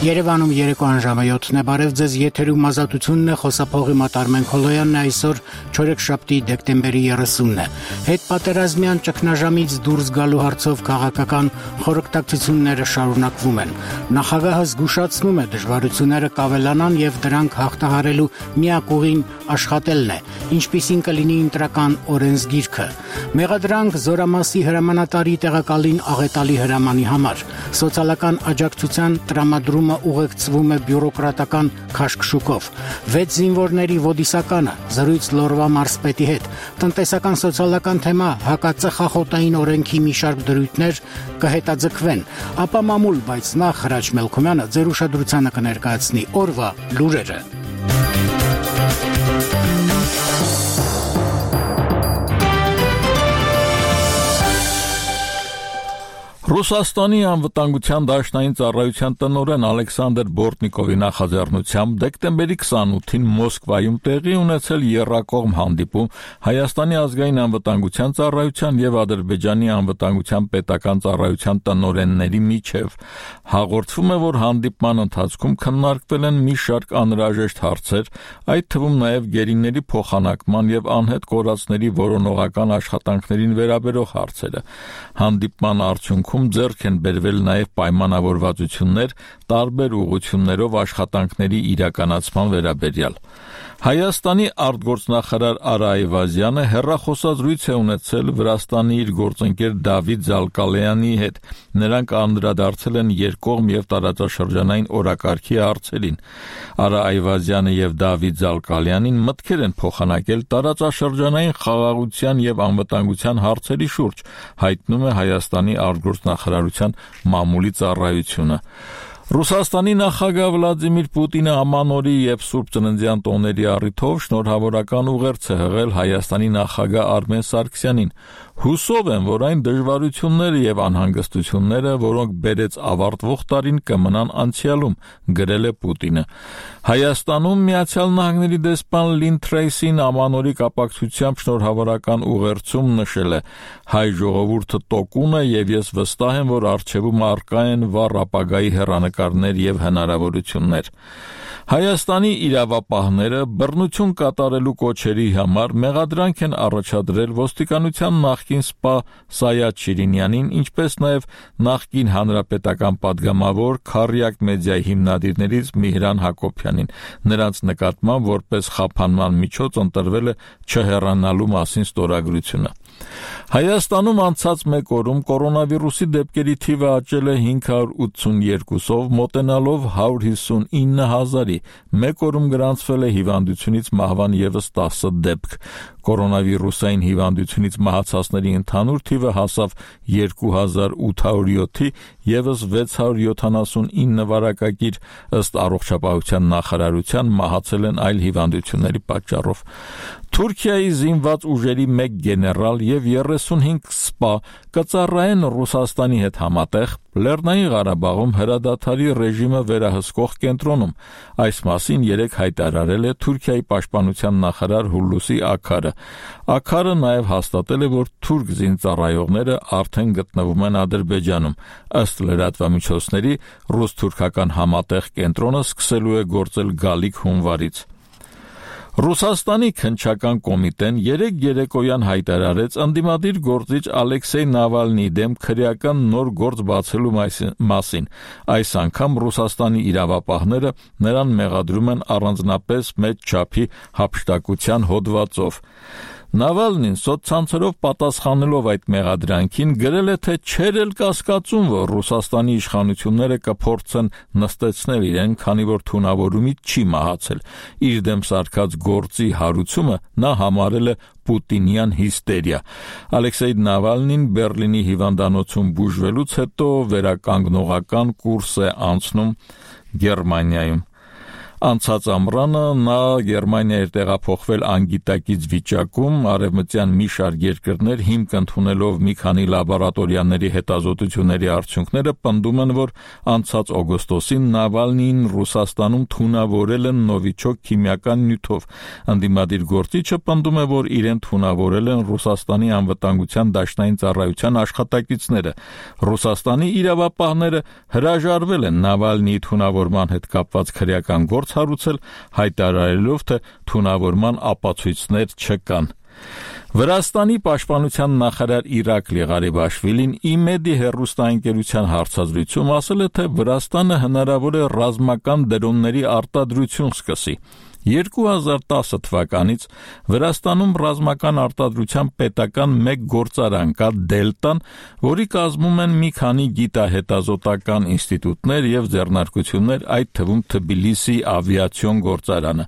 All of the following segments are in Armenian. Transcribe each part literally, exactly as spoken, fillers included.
Երևանում երեկոյան ժամը յոթն է, բարև ձեզ, եթերում ազատությունն է, խոսափողի Մատարմեն Քոլոյանն է, այսօր չորեքշաբթի դեկտեմբերի երեսունն է։ Հետ պատերազմյան ճգնաժամից դուրս գալու հարցով քաղաքական խորհրդակցությունները շարունակվում են։ Նախագահը զգուշացնում է դժվարությունները կավելանան եւ դրանք հաղթահարելու միակ ուղին աշխատելն է, ինչպիսին կլինի ընտրական օրենսգիրքը։ Մեղադրանք Զորամասի հրամանատարի տեղակալին աղետալի հրամանի համար։ Սոցիալական աջակցության տրամադրումը ուղեկցվում է բյուրոկրատական քաշքշուկով։ Վեց զինվորների ոդիսականը, զրույց Լորվա մարզպետի հետ, տնտեսական սոցիալական թեմա, հակածխախոտային օրենքի մի շարք դրույթներ կհետաձգվեն, ապա մամուլ, բայց նախ Հրաչ Մելքումյանը ձեր ուշադրությանը կներկայացնի օրվա լուրերը։ Ռուսաստանի անվտանգության դաշնային ծառայության տնօրեն Ալեքսանդր Բորտնիկովի նախաձեռնությամբ դեկտեմբերի քսանութին Մոսկվայում տեղի ունեցել եռակողմ հանդիպում Հայաստանի ազգային անվտանգության ծառայության եւ Ադրբեջանի անվտանգության պետական ծառայության տնօրենների միջև։ Հաղորդվում է, որ հանդիպման ընթացքում քննարկվել են մի շարք անհրաժեշտ հարցեր, այդ թվում նաեւ գերիների փոխանակման եւ անհետ կորածների որոնողական աշխատանքներին վերաբերող հարցերը։ Հանդիպման արդյունքում ձեռք են բերվել նաև պայմանավորվածություններ տարբեր ուղղություններով աշխատանքների իրականացման վերաբերյալ։ Հայաստանի արտգործնախարար Արա Այվազյանը հեռախոսազրույց է ունեցել Վրաստանի իր գործընկեր Դավիթ Զալկալյանի հետ։ Նրանք անդրադարձել են երկկողմ եւ տարածաշրջանային օրակարգի հարցերին։ Արա Այվազյանը եւ Դավիթ Զալկալյանին մտքեր են փոխանակել տարածաշրջանային խաղաղության եւ անվտանգության հարցերի շուրջ, հայտնում է Հայաստանի արտգործնախարարության մամուլի ծառայությունը։ Ռուսաստանի նախագահ Վլադիմիր Պուտինը ամանորի եւ Սուրբ Ծննդյան տոների առիթով շնորհավորական ուղերձ է հղել Հայաստանի նախագահ Արմեն Սարգսյանին։ Հուսով եմ, որ այն դժվարությունները եւ անհանգստությունները, որոնք բերեց ավարտվող տարին, կմնան անցյալում, գրել է Պուտինը։ Հայաստանում Միացյալ Նահանգների դեսպան Լին Թրեյսին ամանորի կապակցությամբ շնորհավորական ուղերձում նշել է. հայ ժողովուրդը տոկուն է եւ ես վստահ եմ, որ առջևում առկա են վառ ապագայի հեռանկարներ եւ հնարավորություններ։ Հայաստանի իրավապահները բռնություն կատարելու կոչերի համար մեղադրանք են առաջադրել ոստիկանության նախկին սպա Սայադ Շիրինյանին, ինչպես նաև նախկին հանրապետական падգամավոր Քարյակ մեդիայի հիմնադիրներից Միհրան Հակոբյանին։ Նրանց նկատմամբ որպես խափանման միջոց ընտրվել է չհեռանալու մասին ստորագրությունը։ Հայաստանում անցած մեկ օրում կորոնավիրուսի դեպքերի թիվը աճել է հինգ հարյուր ութսունյոթով, մոտենալով հարյուր հիսունինը հազարի։ Մեկ օրում գրանցվել է հիվանդությունից մահվան ևս տասը դեպք։ Կորոնավիրուսային հիվանդությունից մահացածների ընդհանուր թիվը հասավ երկու հազար ութ հարյուր յոթի, ևս վեց հարյուր յոթանասունինը վարակագիր, ըստ առողջապահության նախարարության մահացել են այլ հիվանդությունների պատճառով։ Թուրքիայի զինված ուժերի մեկ գեներալ եւ երեսունհինգ սպա կծառայեն Ռուսաստանի հետ համատեղ Լեռնային Ղարաբաղում հրադադարի ռեժիմը վերահսկող կենտրոնում։ Այս մասին երեկ հայտարարել է Թուրքիայի պաշտպանության նախարար Հուլուսի Աքարը։ Աքարը նաև հաստատել է, որ թուրք զինծառայողները արդեն գտնվում են Ադրբեջանում։ Ըստ լրատվամիջոցների, ռուս-թուրքական համատեղ կենտրոնը սկսելու է գործել գալիք հունվարից։ Ռուսաստանի քննչական կոմիտեն երեկ երեկոյան հայտարարեց ընդդիմադիր գործիչ Ալեքսեյ Նավալնիի դեմ քրեական նոր գործ բացելու մասին։ Այս անգամ Ռուսաստանի իրավապահները նրան մեղադրում են առանձնապես մեծ չափի հափշտակության հոդվածով։ Նավալնին սոցցանցերով պատասխանելով այդ մեղադրանքին գրել է, թե չէր էլ կասկածում, որ Ռուսաստանի իշխանությունները կփորձեն նստեցնել իրեն, քանի որ թունավորումից չի մահացել։ Իր դեմ սարքած գործի հարուցումը նա համարել է պուտինյան հիստերիա։ Ալեքսեյ Նավալնին Բերլինի հիվանդանոցում բուժվելուց հետո վերականգնողական կուրս է անցնում Գերմանիայում։ Անցած ամռանը նա Գերմանիա էր տեղափոխվել անգիտակից վիճակում, արևմտյան մի շարք երկրներ հիմք ընդունելով մի քանի լաբորատորիաների հետազոտությունների արդյունքները պնդում են, որ անցած օգոստոսին Նավալնիին Ռուսաստանում թունավորել են նովիչոկ քիմիական նյութով։ Ընդդիմադիր գործիչը պնդում է, որ իրեն թունավորել են Ռուսաստանի անվտանգության դաշնային ծառայության աշխատակիցները։ Ռուսաստանի իրավապահները հրաժարվել են Նավալնիի թունավորման հետ կապված քրեական գործ հարուցել, հայտարարելով, թե թունավորման ապացույցներ չկան։ Վրաստանի պաշտպանության նախարար Իրակլի Ղարիբաշվիլին ԻՄԵԴ-ի հեռուստաընկերության հարցազրույցում ասել է, թե Վրաստանը հնարավոր է ռազմական դրոնների արտադրություն սկսի։ երկու հազար տասը թվականից Վրաստանում ռազմական արտադրության պետական մեկ գործարան կա Դելտան, որի կազմում են մի քանի գիտահետազոտական ինստիտուտներ եւ ձեռնարկություններ, այդ թվում Թբիլիսի ավիացիոն գործարանը։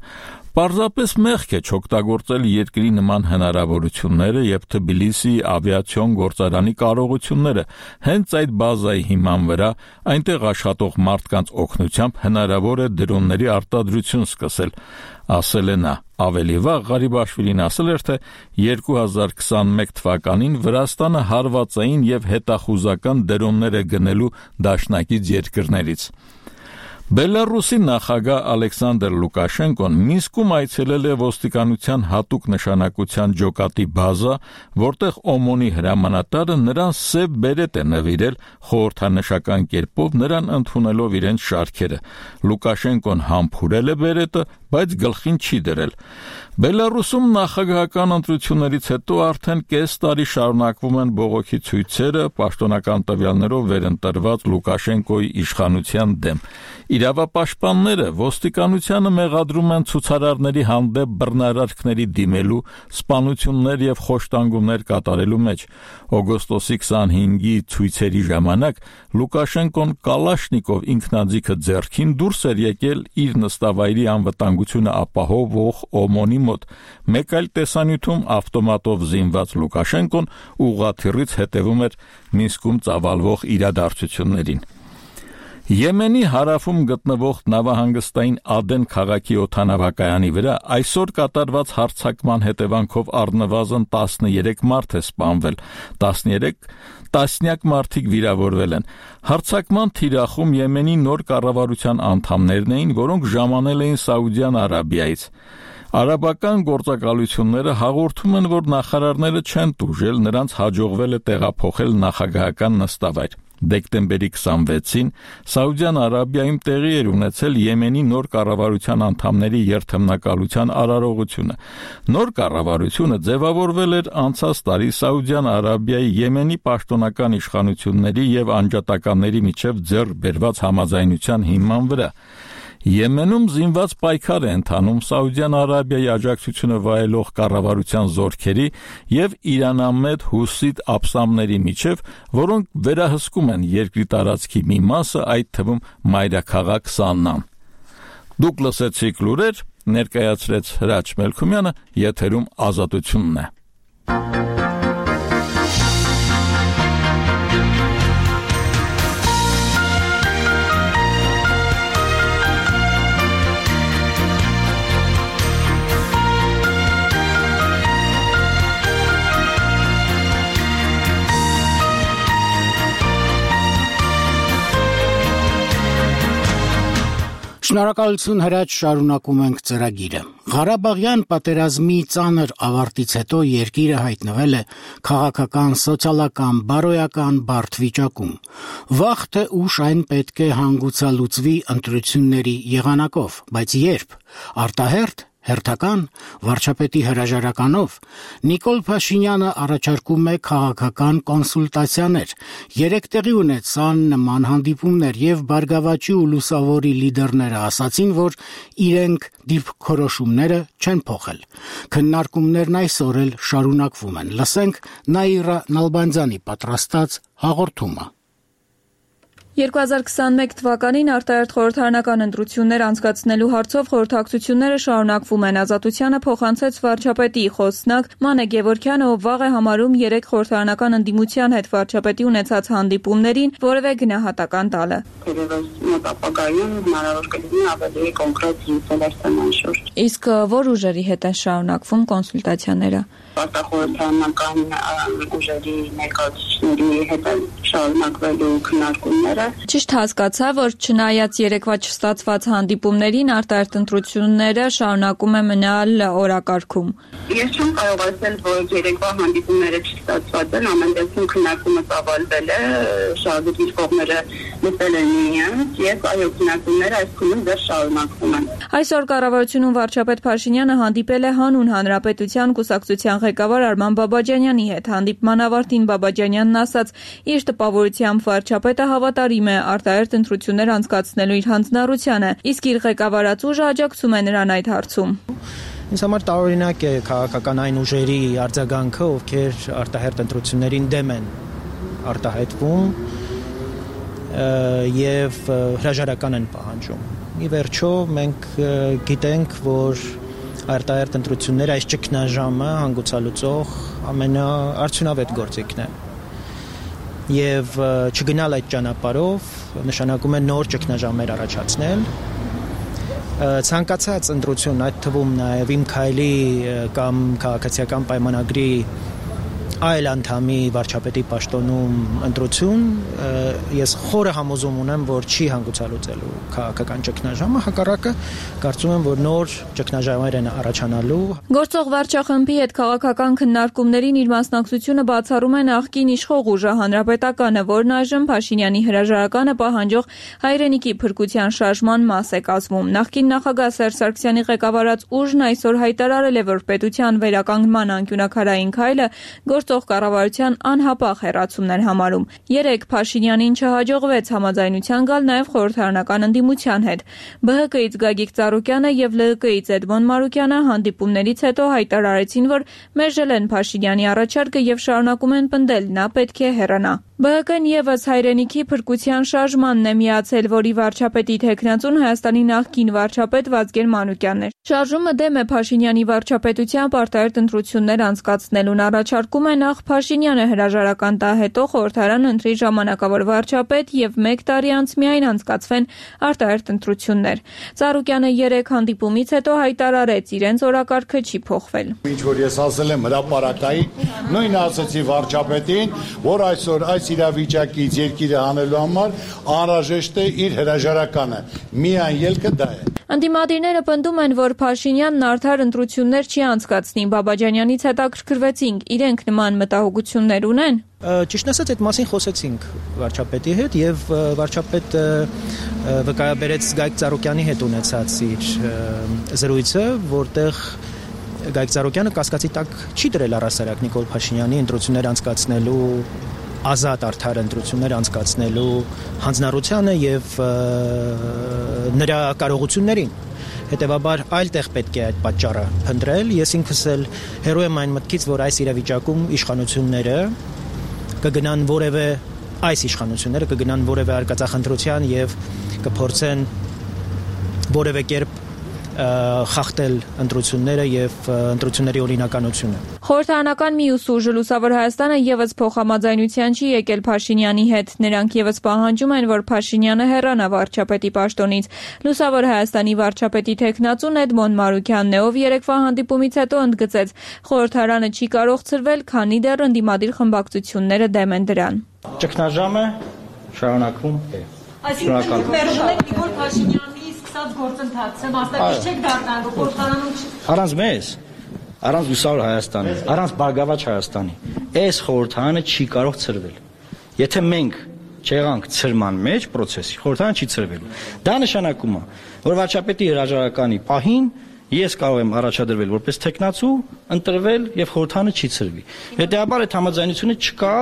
Պարզապես մեղք է չօգտագործել երկրի նման հնարավորությունները եւ Թբիլիսի ավիացիոն գործարանի կարողությունները հենց այդ բազայի հիման վրա այնտեղ աշխատող մարդկանց օգնությամբ հնարավոր է դրոնների արտադրություն սկսել, ասել է նա։ Ավելի վաղ Ղարիբաշվիլին ասել էր, թե երկու հազար քսանմեկ թվականին Վրաստանը հարվածային եւ հետախուզական դրոններ է գնելու դաշնակից երկրներից։ Բելարուսի նախագահ Ալեքսանդր Լուկաշենկոն Մինսկում այցելել է ոստիկանության հատուկ նշանակության ջոկատի բազա, որտեղ օմոնի հրամանատարը նրան սև բերետ է նվիրել խորհրդանշական կերպով նրան ընդունելով իրենց շարքերը։ Լուկաշենկոն համբուրել է բերետը, բայց գլխին չի դրել։ Բելարուսում նախագահական ընտրություններից հետո արդեն կես տարի շարունակվում են բողոքի ցույցերը պաշտոնական տվյալներով վերընտրված Լուկաշենկոյի իշխանության դեմ։ Իրավապաշտպանները ոստիկանությանը մեղադրում են ցուցարարների հանդեպ բռնարարքների դիմելու, սպանություններ եւ խոշտանգումներ կատարելու մեջ։ Օգոստոսի քսանհինգի ցույցերի ժամանակ Լուկաշենկոն Կալաշնիկով ինքնաձիգը ձեռքին դուրս էր եկել իր նստավայրի անվտանգությունը ապահովող օմոնի մոտ։ Մեկ այլ տեսանյութում ավտոմատով զինված Լուկաշենկոն ուղղաթիռից հետևում էր Մինսկում ծավալվող իրադարձություններին։ Եմենի հարավում գտնվող նավահանգստային Ադեն քաղաքի օդանավակայանի վրա այսօր կատարված հարձակման հետևանքով առնվազն տասներեք մարդ է սպանվել, տասներեք տասնյակ մարդիկ վիրավորվել են։ Հարձակման թիրախում Եմենի նոր կառավարության անդամներն էին, որոնք ժամանել էին Սաուդյան Արաբիայից։ Արաբական գործակալությունները հաղորդում են, որ նախարարները չեն տուժել, նրանց հաջողվել է տեղափոխել նախագահական նստավայր։ Դեկտեմբերի քսանվեցին Սաուդյան Արաբիայում տեղի էր ունեցել Եմենի նոր կառավարության անդամների երթմնակալության արարողությունը։ Նոր կառավարությունը ձևավորվել էր անցած տարի Սաուդյան Արաբիայի Եմենի պաշտոնական իշխանությունների եւ անջատականների միջև ձեռք բերված համաձայնության հիման վրա։ Եմենում զինված պայքար է ընթանում Սաուդյան Արաբիայի աջակցությունը վայելող կառավարության զորքերի եւ իրանամետ հուսիտ ափսամների միջև, որոնք վերահսկում են երկրի տարածքի մի մասը, այդ թվում մայրաքաղաք Սաննան։ Դուք լսեցիք լուրեր, ներկայացրեց Հրաչ Մելքումյանը, եթերում Ազատությունն է։ Շնորհակալություն Հրաչ, շարունակում ենք ծրագիրը։ Ղարաբաղյան պատերազմի ծանր ավարտից հետո երկիրը հայտնվել է քաղաքական, սոցիալական, բարոյական բարդ վիճակում։ Վաղ թե ուշ այն պետք է հանգուցալուծվի ընտրությունների եղանակով, բայց երբ արտահերթ հերթական վարչապետի հրաժարականով Նիկոլ Փաշինյանը առաջարկում է քաղաքական կոնսուլտացիաներ։ Երեք տեղի ունեցան նման հանդիպումներ եւ Բարգավաճի ու Լուսավորի լիդերները ասացին, որ իրենք դիրքորոշումները չեն փոխել։ Քննարկումներն այսօր էլ շարունակվում են։ Լսենք Նաիրա Նալբանդյանի պատրաստած հաղորդումը։ երկու հազար քսանմեկ թվականին արտահերթ խորհրդարանական ընտրություններ անցկացնելու հարցով խորհրդակցությունները շարունակվում են։ Ազատությանը փոխանցեց վարչապետի խոսնակ Մանե Գևորգյանը, ով վաղ է համարում երեք խորհրդարանական ընդդիմության հետ վարչապետի ունեցած հանդիպումներին որևէ գնահատական տալը։ Թերևս մոտ ապագայում հնարավոր կլինի ավելի կոնկրետ զրույցներ շուրջ։ Իսկ որ ուժերի հետ են շարունակվում կոնսուլտացիաները։ Արտախորհրդարանական ուժերի ներկայացուցիչների հետ շարունակվելու քննարկումները։ Ճիշտ հասկացա, որ չնայած երեկվա չստացված հանդիպումներին արտահերթ ընտրությունները շարունակում է մնալ օրակարգում։ Ես չեմ կարող ասել, որ երեկվա հանդիպումները չստացված են, ամեն դեպքում քննարկումը ծավալվել է, շահագործիչ կողմերը լսել են իրենց, եւ այո, քննարկումները այս քննում դեռ շարունակվում են։ Այսօր կառավարությունում վարչապետ Փաշինյանը հանդիպել է Հանուն Հանրապետության կուսակցության ղեկավար Արման Բաբաջանյանի հետ։ Հանդիպման ավարտին Բաբաջանյանն ասաց, իր տպավորությամբ վարչապետը հավատարիմ է արտահերթ ընտրություններ անցկացնելու իր հանձնառությանը, իսկ իր ղեկավարած ուժը աջակցում է նրան այդ հարցում։ Ինձ համար տարօրինակ է քաղաքական այն ուժերի արձագանքը, ովքեր արտահերթ ընտրություններին դեմ են արտահայտվում եւ հրաժարական են պահանջում։ Ի վերջո մենք գիտենք, որ արտահերթ ընտրությունները այս ճգնաժամը հանգուցալուծող ամենաարդյունավետ գործիքն է։ Եվ չգնալ այդ ճանապարհով նշանակում է նոր ճգնաժամեր առաջացնել։ Ցանկացած ընտրություն, այդ թվում նաև Իմ քայլի կամ քաղաքացիական պայմանագրի այլ անդամի վարչապետի պաշտոնում ընտրություն, ես խորը համոզում ունեմ, որ չի հանգուցալուծելու քաղաքական ճգնաժամը, հակառակը կարծում եմ, որ նոր ճգնաժամեր են առաջանալու։ Գործող վարչախմբի հետ քաղաքական քննարկումներին իր մասնակցությունը բացառում է նախկին իշխող ուժը Հանրապետականը, որն այժմ Փաշինյանի հրաժարականը պահանջող հայրենիքի փրկության շարժման մաս է կազմում։ Նախկին նախագահ Սերժ Սարգսյանի ղեկավարած ուժն այսօր հայտարարել է, որ պետության վերականգնման անկյունաքարային քայլը գործող կառավարության անհապաղ հեռացումն էր համարում։ Երեկ Փաշինյանին չհաջողվեց համաձայնության գալ նաև խորհրդարանական ընդդիմության հետ։ Բ Հ Կ-ից Գագիկ Ծառուկյանը եւ Л Հ Կ-ից Էդմոն Մարուկյանը հանդիպումներից հետո հայտարարեցին, որ մերժել են Փաշինյանի առաջարկը եւ շարունակում են պնդել, նա պետք է հեռանա։ Բ Հ Կ-ն եւս հայրենիքի փրկության շարժմանն է միացել, որի վարչապետի թեկնածուն Հայաստանի նախկին վարչապետ Վազգեն Մանուկյանն է։ Շարժումը դեմ է Փաշինյանի վարչապետությամբ արտահերթ ընտրություններ անցկացնելուն, առաջարկում է նախ Փաշինյանը հրաժարական տա, հետո խորհրդարան ընտրի ժամանակավոր վարչապետ եւ մեկ տարի անց միայն անցկացվեն արտահերթ ընտրություններ։ Ծառուկյանը երեք հանդիպումից հետո հայտարարեց, իրենց օրակարգը չի փոխվել։ Ինչ որ ես ասել եմ հրապարակային, նույնը ասացի վարչապետին, որ այսօր այս իրավիճակից երկիրը հանելու համար անհրաժեշտ է իր հրաժարականը։ Միայն ելքը դա է։ Ընդդիմադիրները պնդում են, որ Փաշինյանն արդար ընտրություններ չի անցկացնի։ Բաբաջանյանից հետաքրքրվեցինք, իրենք նման մտահոգություններ ունեն։ Ճիշտն ասած, այդ մասին խոսեցինք վարչապետի հետ եւ վարչապետը վկայաբերեց Գագիկ Ծառուկյանի հետ ունեցած իր զրույցը, որտեղ Գագիկ Ծառուկյանը կասկածի տակ չի դրել առհասարակ Նիկոլ Փաշինյանի ընտրություններ անցկացնելու ազատ արդար ընտրություններ անցկացնելու հանձնառությանը եւ նրա կարողություններին։ Հետևաբար այլ տեղ պետք է այդ պատճառը փնտրել։ Ես ինքս էլ հերոյ եմ այն մտքից, որ այս իրավիճակում իշխանությունները կգնան որևէ այս իշխանությունները կգնան որևէ արկածախնդրության եւ կփորձեն որևէ կերպ խախտել ընտրությունները եւ ընտրությունների օրինականությունը։ Խորհրդարանական մյուս ուժը Լուսավոր Հայաստանը եւս փոխհամաձայնության չի եկել Փաշինյանի հետ։ Նրանք եւս պահանջում են, որ Փաշինյանը հեռանա վարչապետի պաշտոնից։ Լուսավոր Հայաստանի վարչապետի թեկնածուն Էդմոն Մարուկյանն է, ով երեկվա հանդիպումից հետո ընդգծեց, խորհրդարանը չի կարող ցրվել, քանի դեռ ընդդիմադիր խմբակցությունները դեմ են դրան։ Ճգնաժամը շարունակվում է։ Այսինքն մերժել եք Նիկոլ Փաշինյանի սկսած գործընթացը, մասնակից չեք դառնալու խորհրդարանում։ Առանց մեզ, առանց Լուսավոր Հայաստանի, առանց Բարգավաճ Հայաստանի, այս խորհրդարանը չի կարող ցրվել։ Եթե մենք չեղանք ցրման մեջ process-ի, խորհրդարանը չի ցրվելու։ Դա նշանակում է, որ վարչապետի հրաժարականի պահին ես կարող եմ առաջադրվել որպես տեխնացու, ընտրվել եւ խորհրդարանը չի ցրվի։ Հետեւաբար այդ համաձայնությունը չկա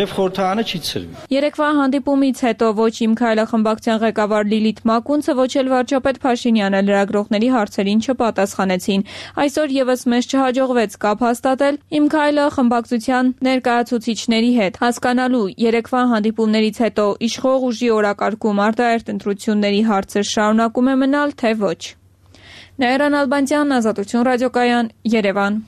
եւ խորհրդարանը չի ցրվի։ Երեկվա հանդիպումից հետո ոչ Իմ Քայլը խմբակցության ղեկավար Լիլիթ Մակունցը, ոչ էլ վարչապետ Փաշինյանը լրագրողների հարցերին չպատասխանեցին։ Այսօր եւս մեզ չհաջողվեց կապ հաստատել Իմ Քայլը խմբակցության ներկայացուցիչների հետ, հասկանալու երեկվա հանդիպումներից հետո իշխող ուժի օրակարգում արտահերթ ընտրությունների հարցը շարունակում է մնալ, թե ոչ։ Նաիրա Նալբանդյան, Ազատություն ռադիոկայան, Երևան։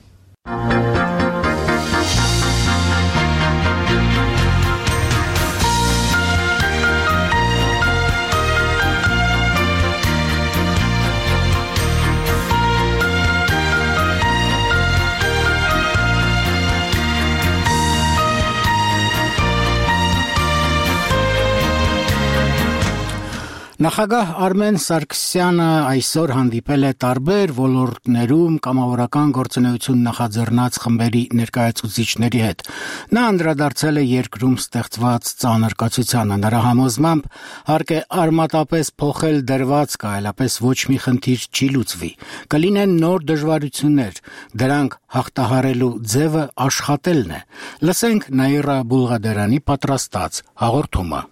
Նախագահ Արմեն Սարգսյանը այսօր հանդիպել է տարբեր ոլորտներում կամավորական գործունեություն նախաձեռնած խմբերի ներկայացուցիչների հետ։ Նա անդրադարձել է երկրում ստեղծված ծանր կացությանը։ Նրա համոզմամբ հարկ է արմատապես փոխել դրվածքը, այլապես ոչ մի խնդիր չի լուծվի։ Կլինեն նոր դժվարություններ, դրանք հաղթահարելու ձևը աշխատելն է։ Լսենք Նաիրա Բուլղադերանի պատրաստած հաղորդումը։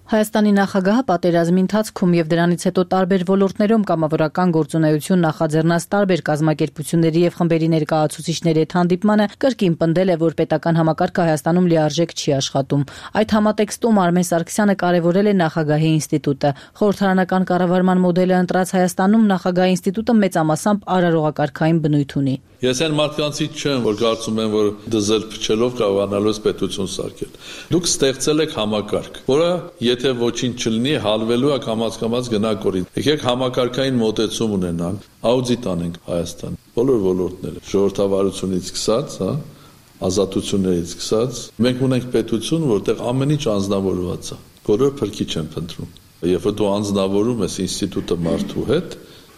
Հայաստանի նախագահը պատերազմի ընթացքում եւ դրանից հետո տարբեր ոլորտներում կամավորական գործունեություն նախաձեռնած տարբեր կազմակերպությունների եւ խմբերի ներկայացուցիչների հետ հանդիպմանը կրկին պնդել է, որ պետական համակարգը Հայաստանում լիարժեք չի աշխատում։ Այդ համատեքստում Արմեն Սարգսյանը կարևորել է նախագահի ինստիտուտը։ Խորհրդարանական կառավարման մոդելը ընտրած Հայաստանում նախագահի ինստիտուտը մեծամասամբ արարողակարգային բնույթ ունի։ Ես այն մարդկանցից չեմ, որ կարծում եմ, որ դզել փչելով կարողանալու է պետություն սարքել։ Դուք ստեղծել եք համակարգ, որը եթե ոչինչ չլինի, հալվելու է կամաց-կամաց գնա կորի։ Եկեք համակարգային մոտեցում ունենանք, աուդիտ անենք Հայաստան, բոլոր ոլորտները, ժողովրդավարությունից սկսած, հա, ազատություններից սկսած, մենք ունենք պետություն, որտեղ ամեն ինչ անձնավորված է, բոլորը փրկիչ են փնտրում։ Երբ որ դու անձնավորում ես ինստիտուտը մարդու հետ,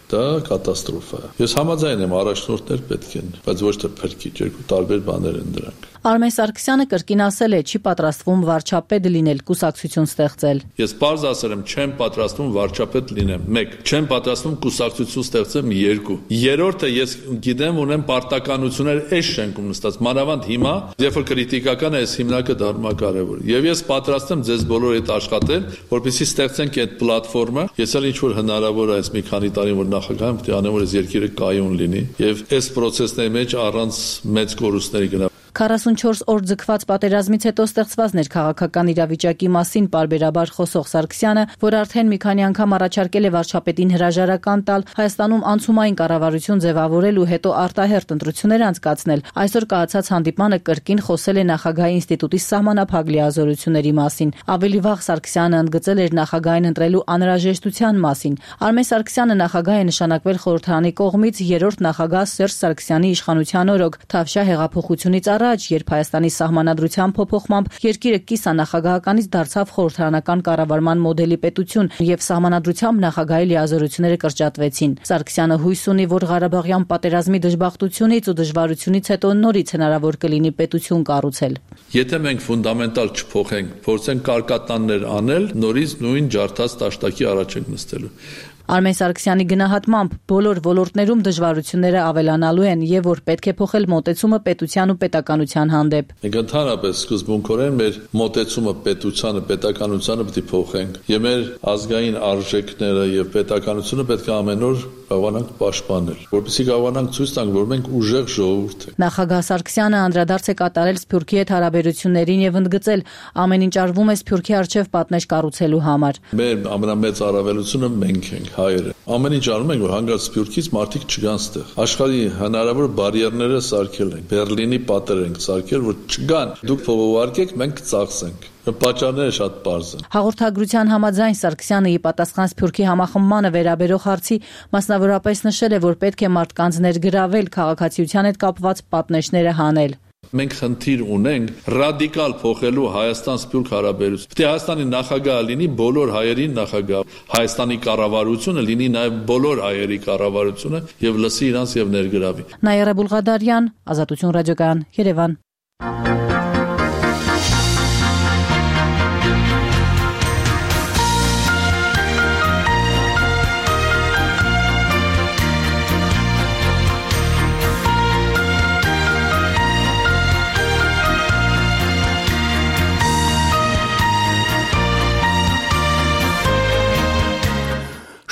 դա կատաստրոֆա է։ Ես համաձայն եմ, առաջնորդներ պետք են, բայց ոչ թե փրկիչ, երկու տարբեր բաներ են դրանք։ Արմեն Սարգսյանը կրկին ասել է, չի պատրաստվում վարչապետ լինել, կուսակցություն ստեղծել։ Ես պարզ ասել եմ, չեմ պատրաստվում վարչապետ լինեմ, մեկ, չեմ պատրաստվում կուսակցություն ստեղծեմ, երկու։ Երրորդը ես գիտեմ, ունեմ պարտականություններ այս շենքում նստած, մանավանդ հիմա, երբ որ քրիտիկական է, այս հիմնակը դառնում է կարևոր։ Եվ ես պատրաստ եմ ձեզ բոլորի հետ աշխատել, որպեսզի ստեղծենք այդ պլատֆորմը, ես էլ ինչ որ հնարավոր է այս մի քանի տարի որ նախագահը պետք է անեմ, որ այս երկիրը կայուն լինի եւ այս process-ների մեջ առանց մեծ կորուստների գնա։ քառասունչորս օր ձգված պատերազմից հետո ստեղծված ներքաղաքական իրավիճակի մասին պարբերաբար խոսող Սարգսյանը, որ արդեն մի քանի անգամ առաջարկել է վարչապետին հրաժարական տալ, Հայաստանում անցումային կառավարություն ձևավորել ու հետո արտահերթ ընտրություններ անցկացնել, այսօր կայացած հանդիպմանը կրկին խոսել է նախագահի ինստիտուտի սահմանափակ լիազորությունների մասին։ Ավելի վաղ Սարգսյանը ընդգծել էր նախագահին ընտրելու անհրաժեշտության մասին։ Արմեն Սարգսյանը նախագահ է նշանակվել խորհրդարանի կողմից երրորդ նախագահ Սերժ Սարգսյանի իշխանության օրոք Թավշյա հեղափոխությունից առաջ, երբ Հայաստանի սահմանադրության փոփոխմամբ երկիրը կիսանախագահականից դարձավ խորհրդարանական կառավարման մոդելի պետություն եւ սահմանադրությամբ նախագահի լիազորությունները կրճատվեցին։ Սարգսյանը հույս ունի, որ Ղարաբաղյան պատերազմի դժբախտությունից ու դժվարությունից հետո նորից հնարավոր կլինի պետություն կառուցել։ Եթե մենք ֆունդամենտալ չփոխենք, փորձենք կարկատաններ անել, նորից նույն ջարդած տաշտակի առաջ ենք նստելու։ Արմեն Սարգսյանի գնահատմամբ բոլոր ոլորտներում դժվարությունները ավելանալու են եւ որ պետք է փոխել մոտեցումը պետության ու պետականության հանդեպ։ Մենք ընդհանրապես սկզբունքորեն մեր մոտեցումը պետությանը, պետականությանը պետք է փոխենք եւ մեր ազգային արժեքները եւ պետականությունը պետք է ամեն օր կարողանանք պաշտպանել, որպեսզի կարողանանք ցույց տանք, որ մենք ուժեղ ժողովուրդ ենք։ Նախագահ Սարգսյանը անդրադարձ է կատարել Սփյուռքի հետ հարաբերություններին եւ ընդգծել, ամեն ինչ արվում է Սփյուռքի արչեւ պատնեշ կառուցելու համար։ Մեր ամենամեծ առավելությունը մենք ենք, հայերը։ Ամեն ինչ անում ենք, որ հանգած Սփյուռքից մարդիկ չգան ստեղ։ Աշխարհի հնարավոր բարիերները սարքել ենք, Բերլինի պատեր ենք սարքել, որ չգան։ Դուք փողովարկեք, մենք կծախսենք։ Պատճառները շատ պարզ են։ Հաղորդագրության համաձայն Սարգսյանը ի պատասխան Սփյուռքի համախմբմանը վերաբերող հարցի մասնավորապես նշել է, որ պետք է մարդկանց ներգրավել, քաղաքացիության հետ կապված պատնեշները հանել։ Մենք խնդիր ունենք ռադիկալ փոխելու Հայաստան-Սփյուռք հարաբերություն։ Պետք է Հայաստանի նախագահը լինի բոլոր հայերի նախագահ, Հայաստանի կառավարությունը լինի նաև բոլոր հայերի կառավարությունը եւ լսի իրանց եւ ներգրավի։ Նաիրա Բուլղադարյան, Ազատություն ռադիոկայան, Երևան։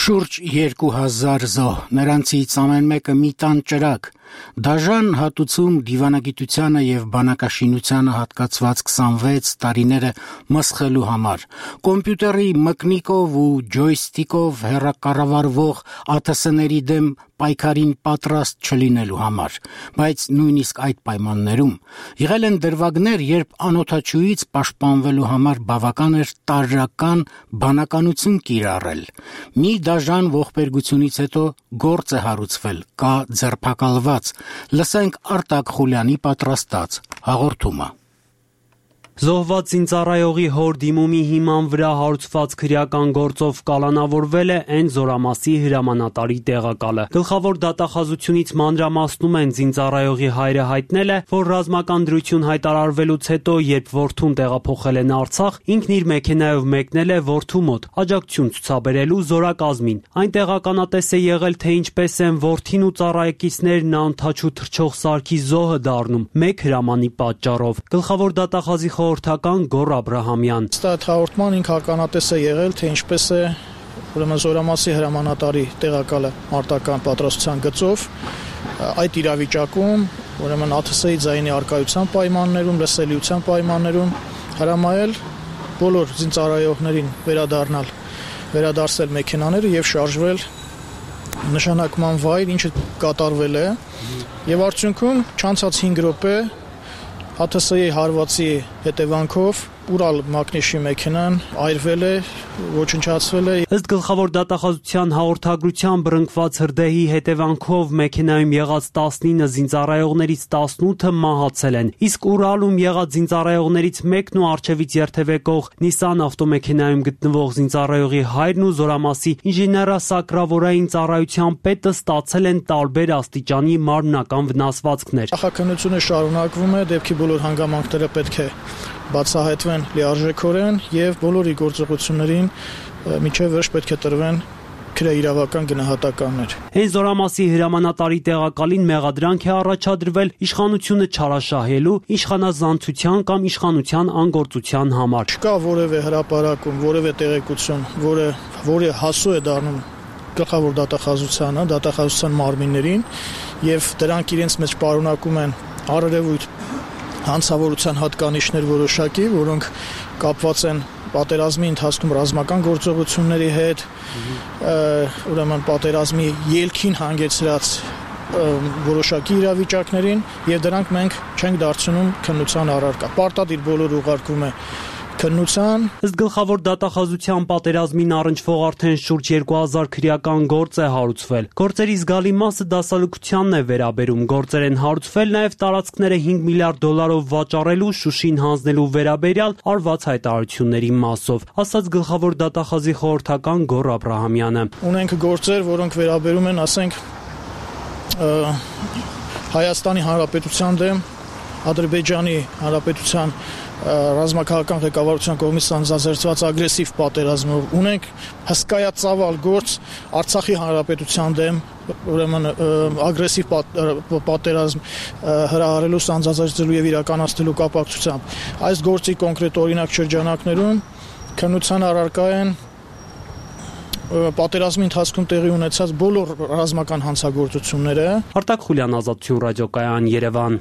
Շուրջ երկու հազար զոհ, նրանցից ամեն մեկը մի տան ճրագ, դաժան հատուցում դիվանագիտությանը եւ բանակաշինությանը հատկացված քսանվեց տարիները մսխելու համար, կոմպյուտերի մկնիկով ու ջոյստիկով հեռակառավարվող ԱԹՍ-ների դեմ պայքարին պատրաստ չլինելու համար, բայց նույնիսկ այդ պայմաններում եղել են դրվագներ, երբ անօթաչուից պաշտպանվելու համար բավական էր տարրական բանականություն կիրառել։ Մի դաժան ողբերգությունից հետո գործ է հարուցվել, կա ձերբակալված, լսենք Արտակ Խուլյանի պատրաստած հաղորդումը։ Զոհված զինծառայողի հոր դիմումի հիման վրա հարուցված քրեական գործով կալանավորվել է N զորամասի հրամանատարի տեղակալը։ Գլխավոր դատախազությունից մանրամասնում են զինծառայողի հայրը հայտնել է, որ ռազմական դրություն հայտարարվելուց հետո, երբ որդուն տեղափոխել են Արցախ, ինքն իր մեքենայով մեկնել է որդու մոտ աջակցություն ցուցաբերելու զորակազմին։ Այնտեղ ականատես է եղել, թե ինչպես են որդին ու ծառայեկիցներն անթաչու թռչող սարքի զոհը դառնում մեկ հրամանի պատճառով։ Գլխավոր դատախազի խորհրդական Գոռ Աբրահամյան։ Ըստ հաղորդման ինքը ականատես է եղել, թե ինչպես է ուրեմն զորամասի հրամանատարի տեղակալը մարտական պատրաստության գծով այդ իրավիճակում ուրեմն ԱԹՍ-ի ձայնի արկայության պայմաններում, լսելիության պայմաններում հրամայել բոլոր զինծառայողներին վերադառնալ, վերադարձել մեքենաները եւ շարժվել նշանակման վայր, ինչը կատարվել է, եւ արդյունքում չանցած հինգ րոպե ԱԹՍ-ի հարվածի հետևանքով Ուրալ մակնիշի մեքենան այրվել է, ոչնչացվել է։ Ըստ գլխավոր դատախազության հաղորդագրության բռնկված հրդեհի հետևանքով մեքենայում եղած տասնինը զինծառայողներից տասնութը մահացել են, իսկ Ուրալում եղած զինծառայողներից մեկն ու առջևից երթևեկող Նիսան ավտոմեքենայում գտնվող զինծառայողի հայրն ու զորամասի ինժեներասակրավորային ծառայության պետը ստացել են տարբեր աստիճանի մարմնական վնասվածքներ։ Նախաքննությունը շարունակվում է, դեպքի բոլոր հանգամանքները պետք է բացահայտվեն լիարժեքորեն եւ բոլորի գործողություններին միջև վերջ պետք է տրվեն քրեիրավական գնահատականներ։ Հենց զորամասի հրամանատարի տեղակալին մեղադրանք է առաջադրվել իշխանությունը չարաշահելու, իշխանազանցության կամ իշխանության անգործության համար։ Չկա որևէ հրապարակում, որևէ տեղեկություն, որը որը հասու է դառնում գլխավոր դատախազությանը, դատախազության մարմիններին եւ դրանք իրենց մեջ պարունակում են առերևույթ հանցավորության հատկանիշներ որոշակի, որոնք կապված են պատերազմի ընթացքում ռազմական գործողությունների հետ, ուրեմն պատերազմի ելքին հանգեցրած որոշակի իրավիճակներին եւ դրանք մենք չենք դարձնում քննության առարկա։ Պարտադիր բոլոր ուղարկվում է քննության։ Ըստ գլխավոր դատախազության պատերազմին առնչվող արդեն շուրջ երկու հազար քրեական գործ է հարուցվել։ Գործերի զգալի մասը դասալուկությանն է վերաբերում։ Գործեր են հարուցվել նաև տարածքները հինգ միլիարդ դոլարով վաճառելու, Շուշին հանձնելու վերաբերյալ արված հայտարարությունների մասով, ասաց գլխավոր դատախազի խորհրդական Գոռ Աբրահամյանը։ Ունենք գործեր, որոնք վերաբերում են, ասենք, Հայաստանի Հանրապետության դեմ Ադրբեջանի Հանրապետության ռազմաքաղաքական ղեկավարության կողմից սանձազերծված ագրեսիվ պատերազմով, ունենք հսկայածավալ գործ Արցախի Հանրապետության դեմ, ուրեմն ագրեսիվ պատերազմ հրահարելու, սանձազերծելու եւ իրականացնելու կապակցությամբ։ Այս գործի կոնկրետ օրինակ շրջանակներում քննության առարկա են պատերազմի ընթացքում տեղի ունեցած բոլոր ռազմական հանցագործությունները։ Արտակ Խուլյան, Ազատություն ռադիոկայան, Երևան։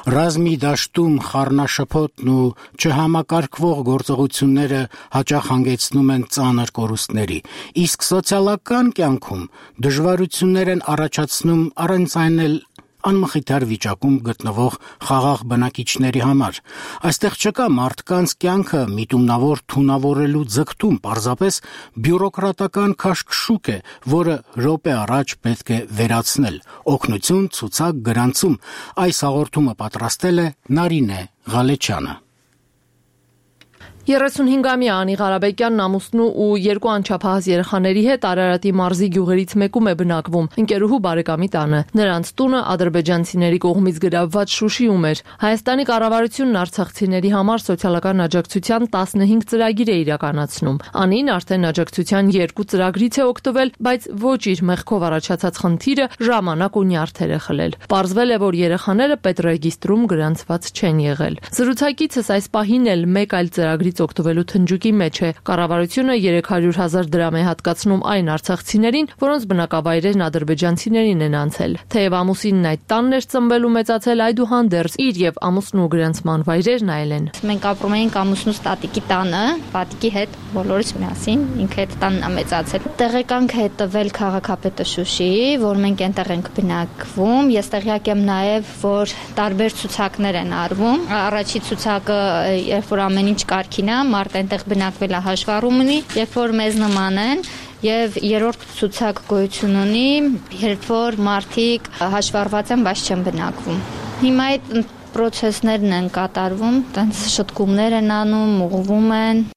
Ռազմի դաշտում խառնաշփոթն ու չհամակարգվող գործողությունները հաճախ հանգեցնում են ծանր կորուստների, իսկ սոցիալական կյանքում դժվարություններ են առաջացնում առանց այն էլ անմխիթար վիճակում գտնվող խաղաղ բնակիչների համար։ Այստեղ չկա մարդկանց կյանքը միտումնավոր թունավորելու ձգտում, պարզապես բյուրոկրատական քաշքշուկ է, որը րոպե առաջ պետք է վերացնել։ Օգնություն, ցուցակ, գրանցում։ Այս հաղորդումը պատրաստել է Նարինե Ղալեչյանը։ երեսունհինգամյա Անի Ղարաբեկյանն ամուսնու ու երկու անչափահաս երեխաների հետ Արարատի մարզի գյուղերից մեկում է բնակվում, ընկերուհու բարեկամի տանը։ Նրանց տունը ադրբեջանցիների կողմից գրավված Շուշիում էր։ Հայաստանի կառավարությունն արցախցիների համար սոցիալական աջակցության տասնհինգ ծրագիր է իրականացնում։ Անին արդեն աջակցության երկու ծրագրից է օգտվել, բայց ոչ իր մեղքով առաջացած խնդիրը ժամանակ ու նյարդեր է խլել։ Պարզվել է, որ երեխաները պետռեգիստրում գրանցված չեն եղել։ Զրուցակիցս այս պահին էլ մեկ այլ ծրագրից օգտվելու թնջուկի մեջ է։ Կառավարությունը երեք հարյուր հազար դրամ է հատկացնում այն արցախցիներին, որոնց բնակավայրերն ադրբեջանցիներին են անցել։ Թեև ամուսինն այդ տանն էր ծնվել ու մեծացել, այդուհանդերձ իր եւ ամուսնու գրանցման վայրերն այլ են։ Մենք ապրում էինք ամուսնուս տատիկի տանը, պատիկի հետ բոլորս միասին, ինքը այդ տանն է մեծացել։ Տեղեկանք է տվել քաղաքապետը Շուշիի, որ մենք այնտեղ ենք բնակվում։ Ես տեղյակ եմ նաեւ, որ տարբեր ցուցակներ են արվում։ Առաջի ցուցակը, երբ որ ամեն ինչ կարգին է, մարդ այնտեղ բնակվել է հաշվառում ունի, երբ որ մեզ նման են, եւ երրորդ ցուցակ գոյություն ունի, երբ որ մարդիկ հաշվառված են, բայց չեն բնակվում։ Հիմա այդ պրոցեսներն են կատարվում, տենց շտկումներ են անում, ուղղվում են։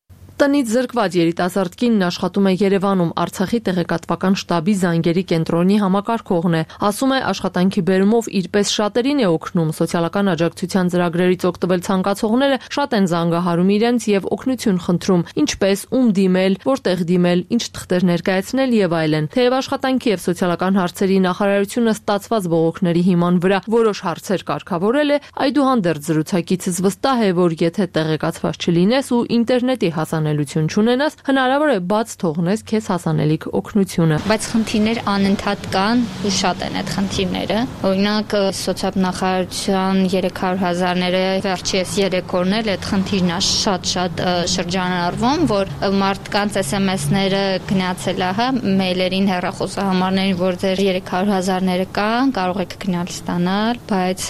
Տնից զրկված երիտասարդ կինն աշխատում է Երևանում, Արցախի տեղեկատվական շտաբի զանգերի կենտրոնի համակարգողն է։ Ասում է, աշխատանքի բերումով իրպես շատերին է օգնում, սոցիալական աջակցության ծրագրերից օգտվել ցանկացողները շատ են զանգահարում իրենց եւ օգնություն խնդրում, ինչպես ում դիմել, որտեղ դիմել, ինչ թղթեր ներկայացնել եւ այլն։ Թեև աշխատանքի եւ սոցիալական հարցերի նախարարությունը ստացված բողոքների հիման վրա որոշ հարցեր կարգավորել է, այդուհանդերձ զրուցակիցս վստահ է, որ եթե տեղեկացված չլինես ու ինտերնետի հասանելիություն չունենաս, հնարավոր է բաց թողնես քեզ հասանելիք օգնությունը։ Բայց խնդիրներ անընդհատ կան ու շատ են այդ խնդիրները։ Օրինակ սոցիալնախարարության երեք հարյուր հազարները վերջերս երեք օրն էլ այդ խնդիրն է շատ-շատ շրջանառվում, որ մարդկանց էս էմ էսները գնացել է, հա, մեյլերին, հեռախոսահամարներին, որ ձեր երեք հարյուր հազարները կան, կարող եք գնալ ստանալ, բայց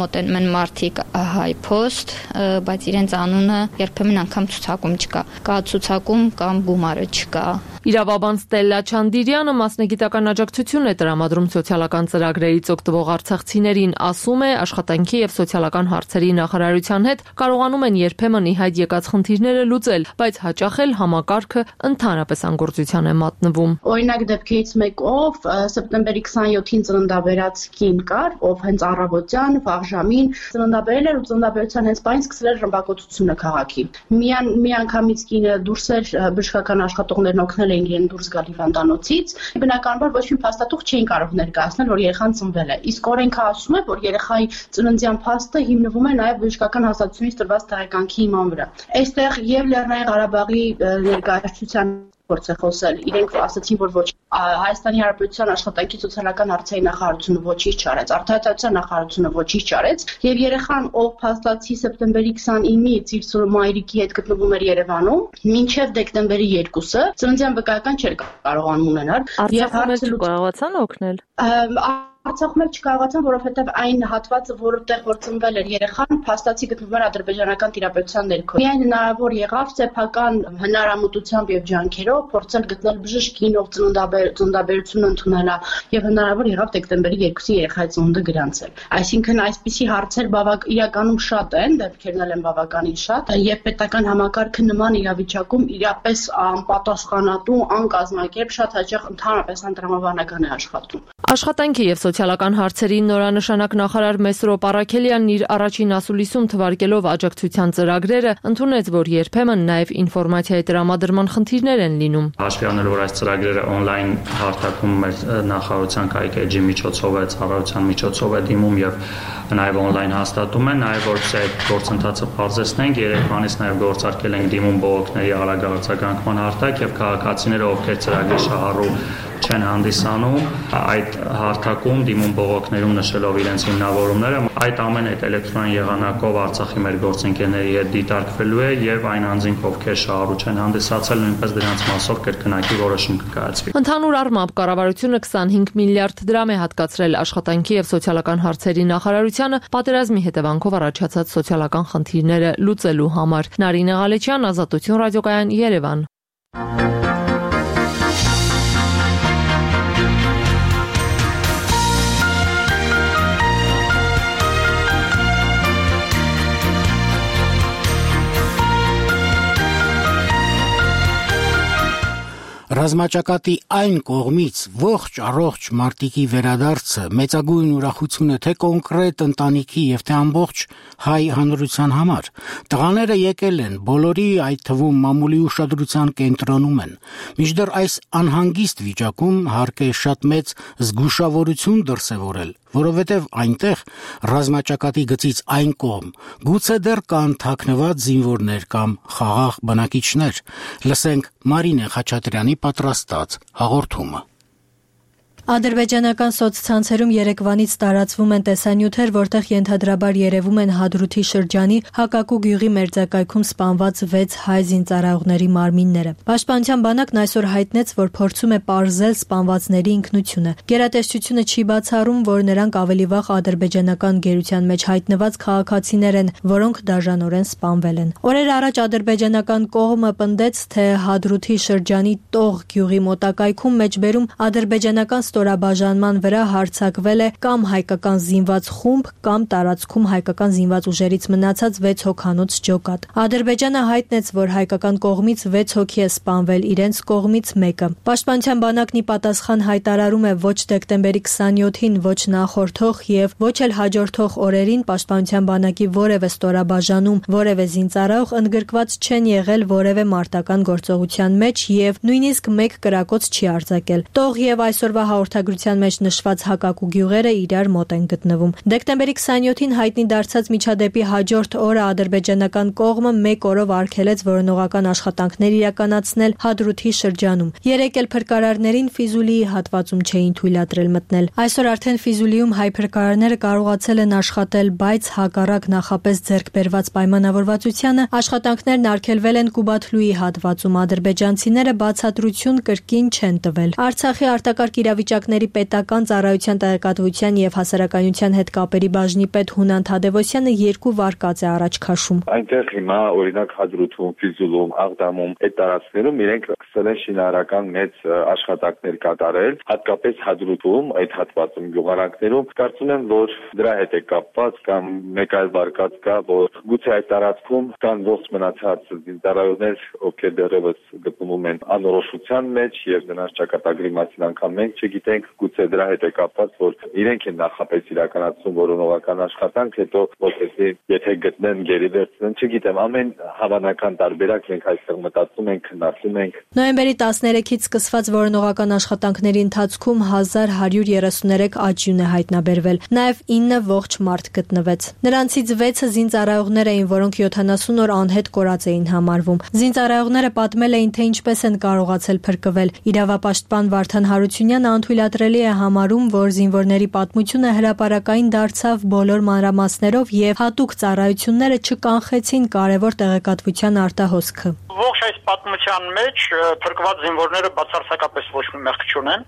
մոտենում են մարդիկ հայ post, բայց իրենց անունը երբեմն անգամ ցուցակում չկա։ Կա ցուցակում կամ գումարը չկա։ Իրավաբան Ստելլա Չանդիրյանը մասնագիտական աջակցություն է տրամադրում սոցիալական ծրագրերից օգտվող արցախցիներին, ասում է, աշխատանքի եւ սոցիալական հարցերի նախարարության հետ կարողանում են երբեմն ի հայտ եկած խնդիրները լուծել, բայց հաճախ էլ համակարգը ընդհանրապես անգործության է մատնվում։ Օրինակ դեպքերից մեկով սեպտեմբերի քսանյոթին ծննդաբերած կին կար, ով հենց առավոտյան վաղ ժամին ծննդաբերել էր ու ծննդաբերության հենց պայն սկսել էր ռմբակոծությունը քաղաքի։ Միան մի անգամից կինը դուրս էր, բժշկական աշխատողներն օգնել էին իրեն դուրս գալ հիվանդանոցից, բնականաբար ոչ մի փաստաթուղթ չէին կարող ներկայացնել, որ երեխան ծնվել է։ Իսկ օրենքը ասում է, որ երեխայի ծննդյան փաստը հիմնվում է նաև բժշկական հաստատությունից տրված տեղեկանքի հիման վրա։ Այստեղ եւ Լեռնային Ղարաբաղի ներկայացության փորձ է խոսել։ Իրենք ասացին, որ ոչ Հայաստանի Հանրապետության աշխատանքի սոցիալական հարցերի նախարարությունը ոչինչ չարեց, արտահայտության նախարարությունը ոչինչ չարեց, եւ երեխան, ով փաստացի սեպտեմբերի քսանինից իր մայրիկի հետ գտնվում էր Երևանում, մինչեւ դեկտեմբերի երկուսը ծննդյան վկայական չէր կարողանում ունենալ։ Եվ հարցը կարողացան օգնել։ Արցախում էլ չկարողացան, որովհետև այն հատվածը, որտեղ որ ծնվել էր երեխան, փաստացի գտնվում էր ադրբեջանական տիրապետության ներքո։ Միայն հնարավոր եղավ սեփական հնարամտությամբ եւ ջանքերով փորձել գտնել բժշկին, ով ծննդաբերությունը ընդունելա, եւ հնարավոր եղավ դեկտեմբերի երկուսին երեխայի ծնունդը գրանցել։ Այսինքն այսպիսի հարցեր բավական իրականում շատ են, դեպքերն էլ են բավականին շատ, եւ պետական համակարգը նման իրավիճակում իրապես անպատասխանատու, անկազմակերպ, շատ հաճախ ընդհանրապես անտրամաբանական է աշխատում։ Աշխատանքի եւ սոցիալական հարցերի նորանշանակ նախարար Մեսրոպ Առաքելյանն իր առաջին ասուլիսում թվարկելով աջակցության ծրագրերը ընդունեց, որ երբեմն նաեւ ինֆորմացիայի տրամադրման խնդիրներ են լինում։ Հաշվի առնելով, որ այս ծրագրերը on-line հարթակում մեր նախարարության կայքեջի միջոցով է, ծառայության միջոցով է դիմում եւ նաեւ on-line հաստատում են, նաեւ որպես այդ գործընթացը բարձրացնենք, երեքանից նաեւ գործարկել ենք դիմում բողոքների արագ արձագանքման հարթակ եւ քաղաքացիները, ովքեր ծրագրի շահառու չեն հանդիսանում, այդ հարթակում դիմում բողոքներում նշելով իրենց հիմնավորումները, այդ ամեն այդ էլեկտրոնային եղանակով Արցախի մեր գործընկերների հետ դիտարկվելու է եւ այն անձինք, ովքեր շահառու չեն հանդիսացել, նույնպես դրանց մասով կրկնակի որոշում կկայացվի։ Ընդհանուր առմամբ կառավարությունը քսանհինգ միլիարդ դրամ է հատկացրել աշխատանքի եւ սոցիալական հարցերի նախարարությանը պատերազմի հետևանքով առաջացած սոցիալական խնդիրները լուծելու համար։ Նարինե Ղալեչյան, Ազատություն ռադիոկայան, Երևան։ Ռազմաճակատի այն կողմից ողջ առողջ մարտիկի վերադարձը մեծագույն ուրախություն է թե կոնկրետ ընտանիքի եւ թե ամբողջ հայ հանրության համար։ Տղաները եկել են, բոլորի, այդ թվում մամուլի ուշադրության կենտրոնում են։ Մինչդեռ այս անհանգիստ վիճակում հարկ է շատ մեծ զգուշավորություն դրսևորել, որովհետև այնտեղ ռազմաճակատի գծից այն կողմ գուցե դեռ կան թաքնված զինվորներ կամ խաղաղ բնակիչներ։ Լսենք Մարինե Խաչատրյանի պատրաստած հաղորդումը։ Ադրբեջանական սոցցանցերում երեկվանից տարածվում են տեսանյութեր, որտեղ ենթադրաբար երևում են Հադրութի շրջանի Հակակու գյուղի մերձակայքում սպանված վեց հայ զինծառայողների մարմինները։ Պաշտպանության բանակն այսօր հայտնեց, որ փորձում է պարզել սպանվածների ինքնությունը։ Գերատեսչությունը չի բացառում, որ նրանք ավելի վաղ ադրբեջանական գերության մեջ հայտնված քաղաքացիներ են, որոնք դաժանորեն սպանվել են։ Օրեր առաջ ադրբեջանական կողմը պնդեց, թե Հադրութի շրջանի Տող գյուղի մոտակայքում մեջբերում ադրբեջանական ստորաբաժանման վրա հարձակվել է կամ հայկական զինված խումբ, կամ տարածքում հայկական զինված ուժերից մնացած վեց հոգանոց ջոկատ։ Ադրբեջանը հայտնեց, որ հայկական կողմից վեց հոգի է սպանվել, իրենց կողմից մեկը։ Պաշտպանության բանակն ի պատասխան հայտարարում է ոչ դեկտեմբերի քսանյոթին, ոչ նախորդող եւ ոչ էլ հաջորդող օրերին պաշտպանության բանակի որևէ ստորաբաժանում, որևէ զինծառայող ընդգրկված չեն եղել որևէ մարտական գործողության մեջ եւ նույնիսկ մեկ կրակոց չի արձակել։ Տող եւ այսօրվա հաղորդագրության մեջ նշված Հակակու գյուղերը իրար մոտ են գտնվում։ Դեկտեմբերի քսանյոթին հայտնի դարձած միջադեպի հաջորդ օրը ադրբեջանական կողմը մեկ օրով արգելեց որոնողական աշխատանքներ իրականացնել Հադրութի շրջանում։ Երեկ էլ փրկարարներին Ֆիզուլիի հատվածում չէին թույլատրել մտնել։ Այսօր արդեն Ֆիզուլիում հայ փրկարարները կարողացել են աշխատել, բայց հակառակ նախապես ձեռք բերված պայմանավորվածությանը աշխատանքներն արգելվել են Կուբաթլուի հատվածում։ Ադրբեջանցիները բացատրություն կրկին չեն տվել։ Արցախի արտակարգ իրավիճակների պետական ծառայության տեղեկատվության եւ հասարակայնության հետ կապերի բաժնի պետ Հունան Թադևոսյանը երկու վարկած է առաջ քաշում։ Այնտեղ հիմա օրինակ Հադրութում, Ֆիզուլում, Աղդամում այդ տարածքներում իրենք սկսել են շինարարական մեծ աշխատանքներ կատարել, հատկապես Հադրութում, այդ հատվածում գյուղարանքներում։ Կարծում եմ, որ դրա հետ է կապված կամ մեկ այլ վարկած կա, որ գուցե այդ տարածքում կան ողջ մնացած զինծառայողներ, ովքեր դեռևս գտնվում են անորոշության մեջ եւ նրանց ճակատագրի մասին անգամ մենք չգիտենք, գուցե դրա հետ է կապված, որ իրենք են նախապես իրականացնում որոնողական աշխատանք, հետո որպեսզի եթե գտնեն գերի վերցնեն, չգիտեմ, ամեն հավանական տարբերակ մենք այստեղ մտածում ենք, քննարկում ենք։ Նոյեմբերի տասներեքից սկսված որոնողական աշխատանքների ընթացքում հազար հարյուր երեսուներեք աճյուն է հայտնաբերվել, նաև ինը ողջ մարդ գտնվեց։ Նրանցից վեցը զինծառայողներ էին, որոնք յոթանասուն օր անհետ կորած էին համարվում։ Զինծառայողները պատմել էին, թե ինչպես են կարողացել փրկվել։ Իրավապաշտպան Վարդան Հարությունյանը անթույլատրելի է համարում, որ զինվորների պատմությունը հրապարակային դարձավ բոլոր մանրամասներով եւ հատուկ ծառայությունները չկանխեցին կարևոր տեղեկատվության արտահոսքը։ Ողջ այս պատմության մեջ փրկված զինվորները բացարձակապես ոչ մի մեղք չունեն։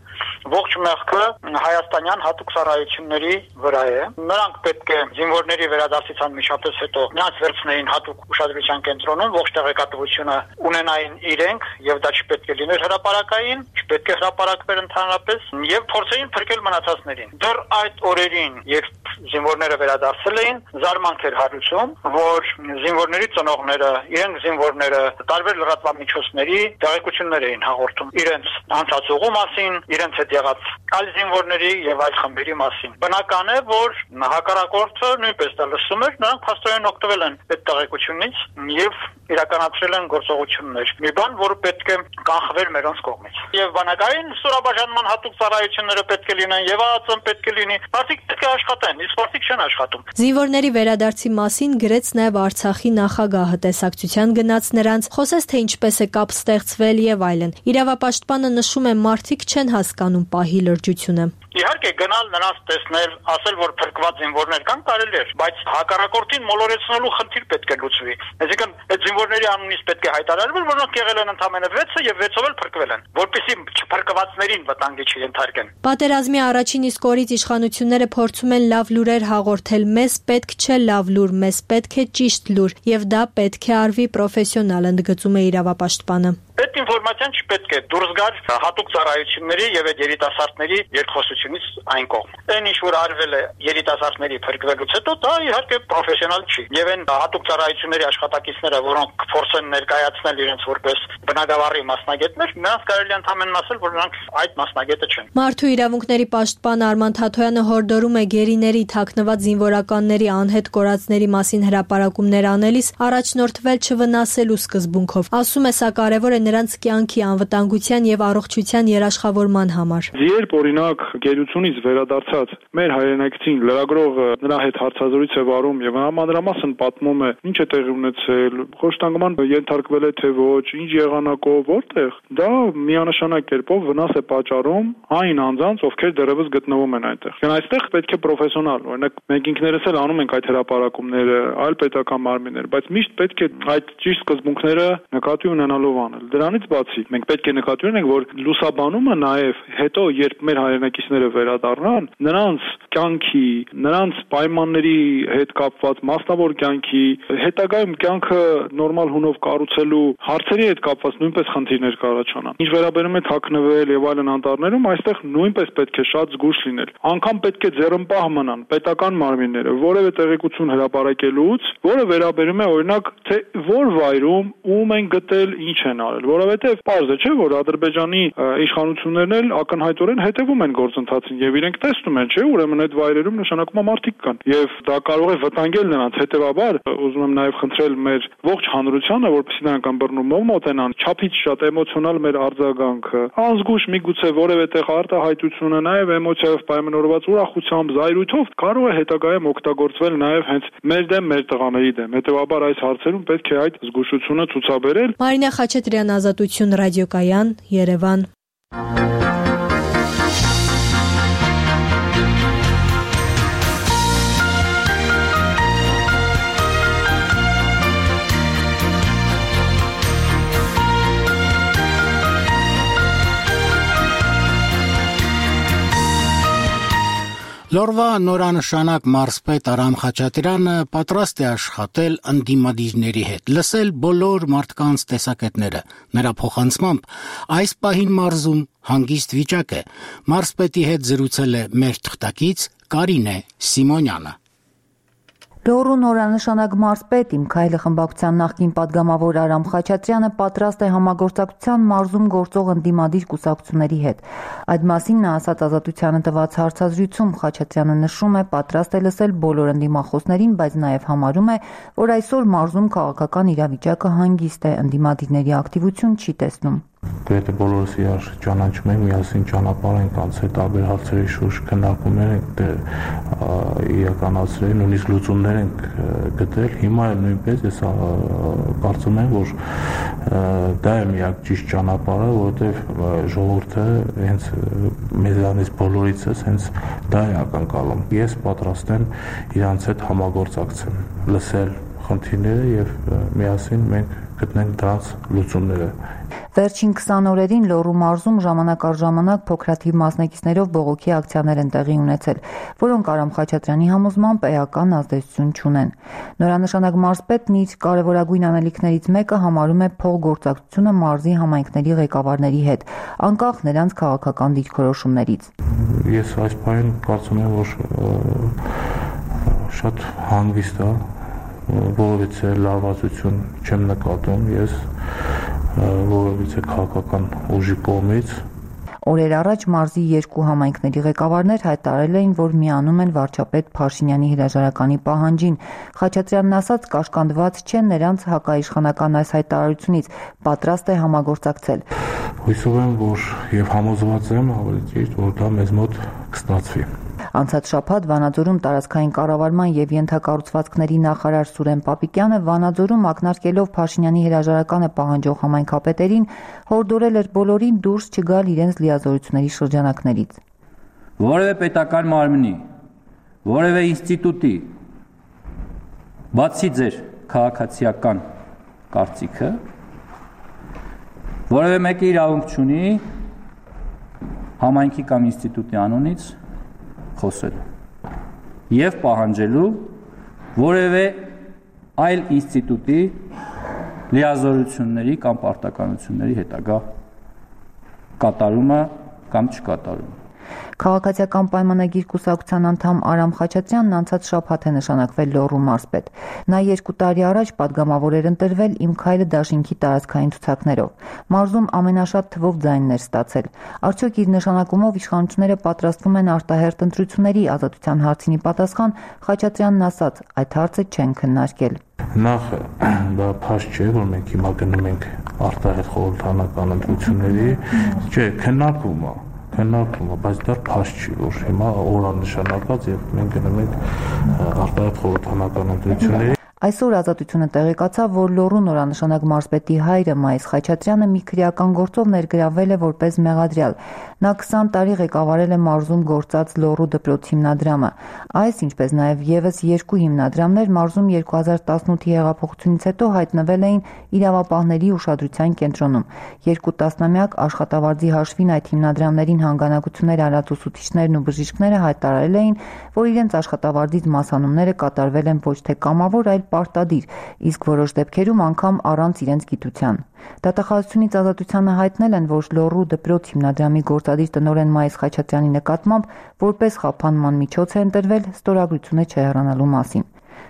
Ողջ մեղքը հայաստանյան հատուկ ծառայությունների վրա է։ Նրանք պետք է զինվորների վերադարձից անմիջապես հետո նրանց վերցնեին հատուկ ուշադրության կենտրոնում, ողջ տեղեկատվությունը ունենային իրենք եւ դա չպետք է լիներ հրապարակային, չպետք է հրապարակվեր ընդհանրապես եւ փորձեին փրկել մնացածներին։ Դեռ այդ օրերին, երբ զինվորները վերադարձել էին, զարմանք էր հարուցում, որ զինվորների ծնողները, իրենք զինվորները տարբեր լրատվամիջոցների տեղեկություններ էին հաղորդում իրենց անցած ուղու մասին, իրենց հետ եղած այլ զինվորների եւ այլ խմբերի մասին։ Բնական է, որ հակառակորդը նույնպես դա լսում էր, նրանք փաստորեն օգտվել են այդ տեղեկությունից եւ իրականացրել են գործողություններ։ Մի բան, որը պետք է կանխվեր մերոնց կողմից։ Եվ բանակային ստորաբաժանման հատուկ ծառայությունները պետք է լինեն եւ ԱԱԾ-ն պետք է լինի։ Մարդիկ պետք է աշխատեն, իսկ մարդիկ չեն աշխատում։ Զինվորների վերադարձի մասին գրեց նաեւ Արցախի նախագահը, տեսակցության գնաց նրանց, խոսեց թե ինչպես է կապ ստեղծվել եւ այլն։ Իրավապաշտպանը նշում է, մարդիկ չեն հասկանում պահի լրջությունը։ Իհարկե գնալ նրանց տեսնել, ասել, որ փրկված զինվորներ կան, կարելի է, բայց հակառակորդին մոլորեցնելու խնդիր պետք է լուծվի։ Այսինքն այդ զինվորների անունից պետք է հայտարարվել, որ նրանք եղել են ընդամենը վեցը եւ վեցով էլ փրկվել են, որպեսզի չփրկվածներին վտանգի չենթարկեն։ Պատերազմի առաջին իսկ օրից իշխանությունները փորձում են լավ լուրեր հաղորդել, մեզ պետք չէ լավ լուր, մեզ պետք է ճիշտ լուր, եւ դա պետք է արվի պրոֆեսիոնալ, ընդգծում է իրավապաշտպանը։ Այդ ինֆորմացիան չպետք է դուրս գար հատուկ ծառայությունների եւ այդ երիտասարդների երկխոսությունից այն կողմ։ Այն ինչ որ արվել է երիտասարդների փրկվելուց հետո, դա իհարկե պրոֆեսիոնալ չի։ Եվ այն հատուկ ծառայությունների աշխատակիցները, որոնք փորձեն ներկայացնել իրենց որպես բնակավարի մասնագետներ, նրանց կարելի է ընդհանրապես ասել, որ նրանք այդ մասնագետը չեն։ Մարդու իրավունքների պաշտպան Արման Թաթոյանը հորդորում է գերիների թաքնված զինվորականների անհետ կորածների մասին հրապարակումներ անելիս առաջնորդվել չվնասելու սկզբունքով։ Ասում է, սա կարևոր է նրանց կյանքի անվտանգության եւ առողջության երաշխավորման համար։ Երբ օրինակ գերությունից վերադարձած մեր հայրենակցին լրագրողը նրա հետ հարցազրույց է վարում եւ մանրամասն պատմում է ինչ է տեղի ունեցել, խոշտանգման ենթարկվել է թե ոչ, ինչ եղանակով, որտեղ, դա միանշանակ կերպով վնաս է պատճառում այն անձանց, ովքեր դեռևս գտնվում են այնտեղ։ Եվ այստեղ պետք է պրոֆեսիոնալ, օրինակ մենք ինքներս էլ անում ենք այդ հրապարակումները, այլ պետական մարմիններ, բայց միշտ պետք է այդ ճիշտ սկզբունքները նկատի ունենալով անել։ Դրանից բացի մենք պետք է նկատի ունենանք, որ լուսաբանումը նաեւ հետո երբ մեր հայրենակիցները վերադառնան, նրանց կյանքի, նրանց պայմանների հետ կապված մասնավոր կյանքի, հետագայում կյանքը նորմալ հունով կառուցելու հարցերի հետ կապված նույնպես խնդիրներ կառաջանան։ Ինչ վերաբերում է թաքնվել եւ այլն անտառներում, այստեղ նույնպես պետք է շատ զգուշ լինել։ Անկամ պետք է ձեռնպահ մնան պետական մարմինները որևէ տեղեկություն հրապարակելուց, որը վերաբերում է օրինակ թե որ վայրում ում են գտել, ինչ են արել, որովհետեւ պարզ է, չէ՞ որ Ադրբեջանի իշխանություններն էլ ակնհայտորեն հետևում են գործընթացին եւ իրենք տեսնում են, չէ՞, ուրեմն այդ վայրերում նշանակում է մարդիկ կան եւ դա կարող է վտանգել նրանց։ Հետեւաբար ուզում եմ նաեւ խնդրել մեր ողջ հանրությանը, որպեսզի նրանք ըմբռնումով մոտենան, չափից շատ էմոցիոնալ մեր արձագանքը, անզգուշ միգուցե որևէ տեղ արտահայտությունը, նաեւ էմոցիայով պայմանավորված ուրախությամբ, զայրույթով կարող է հետագայում օգտագործվել նաեւ հենց մեր դեմ, մեր տղաների դեմ։ Հետեւաբար այս հարցերում պետք է այդ զգուշությունը ցուցաբերել։ Մարինա Խաչատրյան, Ազատություն ռադիոկայան, Երևան։ Լորվա նորանշանակ մարզպետ Արամ Խաչատրյանը պատրաստ է աշխատել ընդդիմադիրների հետ, լսել բոլոր մարդկանց տեսակետները։ Նրա փոխանցմամբ այս պահին մարզում հանգիստ վիճակ է։ Մարզպետի հետ զրուցել է մեր թղթակից Կարինե Սիմոնյանը։ Լոռու նորանշանակ մարզպետ Իմ քայլը խմբակցության նախկին պատգամավոր Արամ Խաչատրյանը պատրաստ է համագործակցության մարզում գործող ընդդիմադիր կուսակցությունների հետ։ Այդ մասին նա ասաց Ազատությանը տված հարցազրույցում։ Խաչատրյանը նշում է, պատրաստ է լսել բոլոր ընդդիմախոսներին, բայց նաև համարում է, որ այսօր մարզում քաղաքական իրավիճակը հանգիստ է, ընդդիմադիրների ակտիվություն չի տեսնում։ Գրեթե բոլորս իրար ճանաչում ենք, միասին ճանապարհ ենք անցել, տարբեր հարցերի շուրջ քննարկումներ ենք իրականացրել, նույնիսկ լուծումներ ենք գտել։ Հիմա էլ նույնպես ես կարծում եմ, որ դա է միակ ճիշտ ճանապարհը, որովհետև ժողովուրդը հենց մեզանից բոլորիցս հենց դա է ակնկալում։ Ես պատրաստ եմ իրանց հետ համագործակցել, լսել խնդիրները եւ միասին մենք գտնենք դրանց լուծումները։ Վերջին քսան օրերին Լոռու մարզում ժամանակ առ ժամանակ փոքրաթիվ մասնակիցներով բողոքի ակցիաներ են տեղի ունեցել, որոնք Արամ Խաչատրյանի համոզմամբ էական ազդեցություն չունեն։ Նորանշանակ մարզպետն իր կարևորագույն անելիքներից մեկը համարում է փոխգործակցությունը մարզի համայնքների ղեկավարների հետ, անկախ նրանց քաղաքական դիրքորոշումներից։ Ես այս բանին կարծում եմ, որ շատ հանգիստ է, որովհետեւ լարվածություն չեմ նկատում ես որովհետեւ քաղաքական ուժի կողմից։ Օրեր առաջ մարզի երկու համայնքների ղեկավարներ հայտարարել էին, որ միանում են վարչապետ Փաշինյանի հրաժարականի պահանջին։ Խաչատրյանն ասաց, կաշկանդված չեն նրանց հակաիշխանական այս հայտարարությունից, պատրաստ է համագործակցել։ Հույսով եմ, որ եւ համոզված եմ, ավելի ճիշտ, որ դա մեզ մոտ կստացվի։ Անցած շաբաթ Վանաձորում տարածքային կառավարման եւ ենթակառուցվածքների նախարար Սուրեն Պապիկյանը Վանաձորում ակնարկելով Փաշինյանի հրաժարականը պահանջող համայնքապետերին հորդորել էր բոլորին դուրս չգալ իրենց լիազորությունների շրջանակներից։ Որևէ պետական մարմնի, որևէ ինստիտուտի, բացի ձեր քաղաքացիական կարծիքը, որևէ մեկը իրավունք չունի համայնքի կամ ինստիտուտի անունից խոսելու եւ պահանջելու որևէ այլ ինստիտուտի լիազորությունների կամ պարտականությունների հետագա կատարումը կամ չկատարումը։ Քաղաքացիական պայմանագիր կուսակցության անդամ Արամ Խաչատրյանն անցած շաբաթ է նշանակվել Լոռու մարզպետ։ Նա երկու տարի առաջ պատգամավոր էր ընտրվել «Իմ քայլը» դաշինքի տարածքային ցուցակներով։ Մարզում ամենաշատ թվով ձայններ ստացել։ Արդյոք իր նշանակումով իշխանությունները պատրաստվում են արտահերթ ընտրությունների ազատության հարցին պատասխան, Խաչատրյանն ասաց, այդ հարցը չեն քննարկել։ Նախ դա փաստ չէ, որ մենք հիմա գնում ենք արտահերթ խորհրդանական ընտրությունների, չէ, քննարկվում է։ Քննարկվում է, բայց դա փաստ չի, որ հիմա օրանշանակած եւ մենք գնում ենք արտահերթ խորհրդանական ընտրությունների։ Այսօր Ազատությունը տեղեկացավ, որ Լոռու նորանշանակ մարզպետի հայրը Մայիս Խաչատրյանը մի քրեական գործով ներգրավել է որպես մեղադրյալ։ Նա քսան տարի ղեկավարել է մարզում գործած Լոռու դպրոց հիմնադրամը։ Այս, ինչպես նաև եւս երկու հիմնադրամներ մարզում երկու հազար տասնութի հեղափոխությունից հետո հայտնվել էին իրավապահների ուշադրության կենտրոնում։ Երկու տասնամյակ աշխատավարձի հաշվին այդ հիմնադրամներին հանգանակություններ արած ուսուցիչներն ու բժիշկները հայտարարել էին, որ իրենց աշխատավարձից մասանումները կատարվել են ոչ թե կամավոր, այլ պարտադիր, իսկ որոշ դեպքերում անգամ առանց իրենց գիտության։ Դատախազությունից Ազատությանը հայտնել են, որ Լոռու դպրոց հիմնադրամի գործադիր տնօրեն Մայիս Խաչատրյանի նկատմամբ որպես խափանման միջոց է ընտրվել ստորագրությունը չհեռանալու մասին։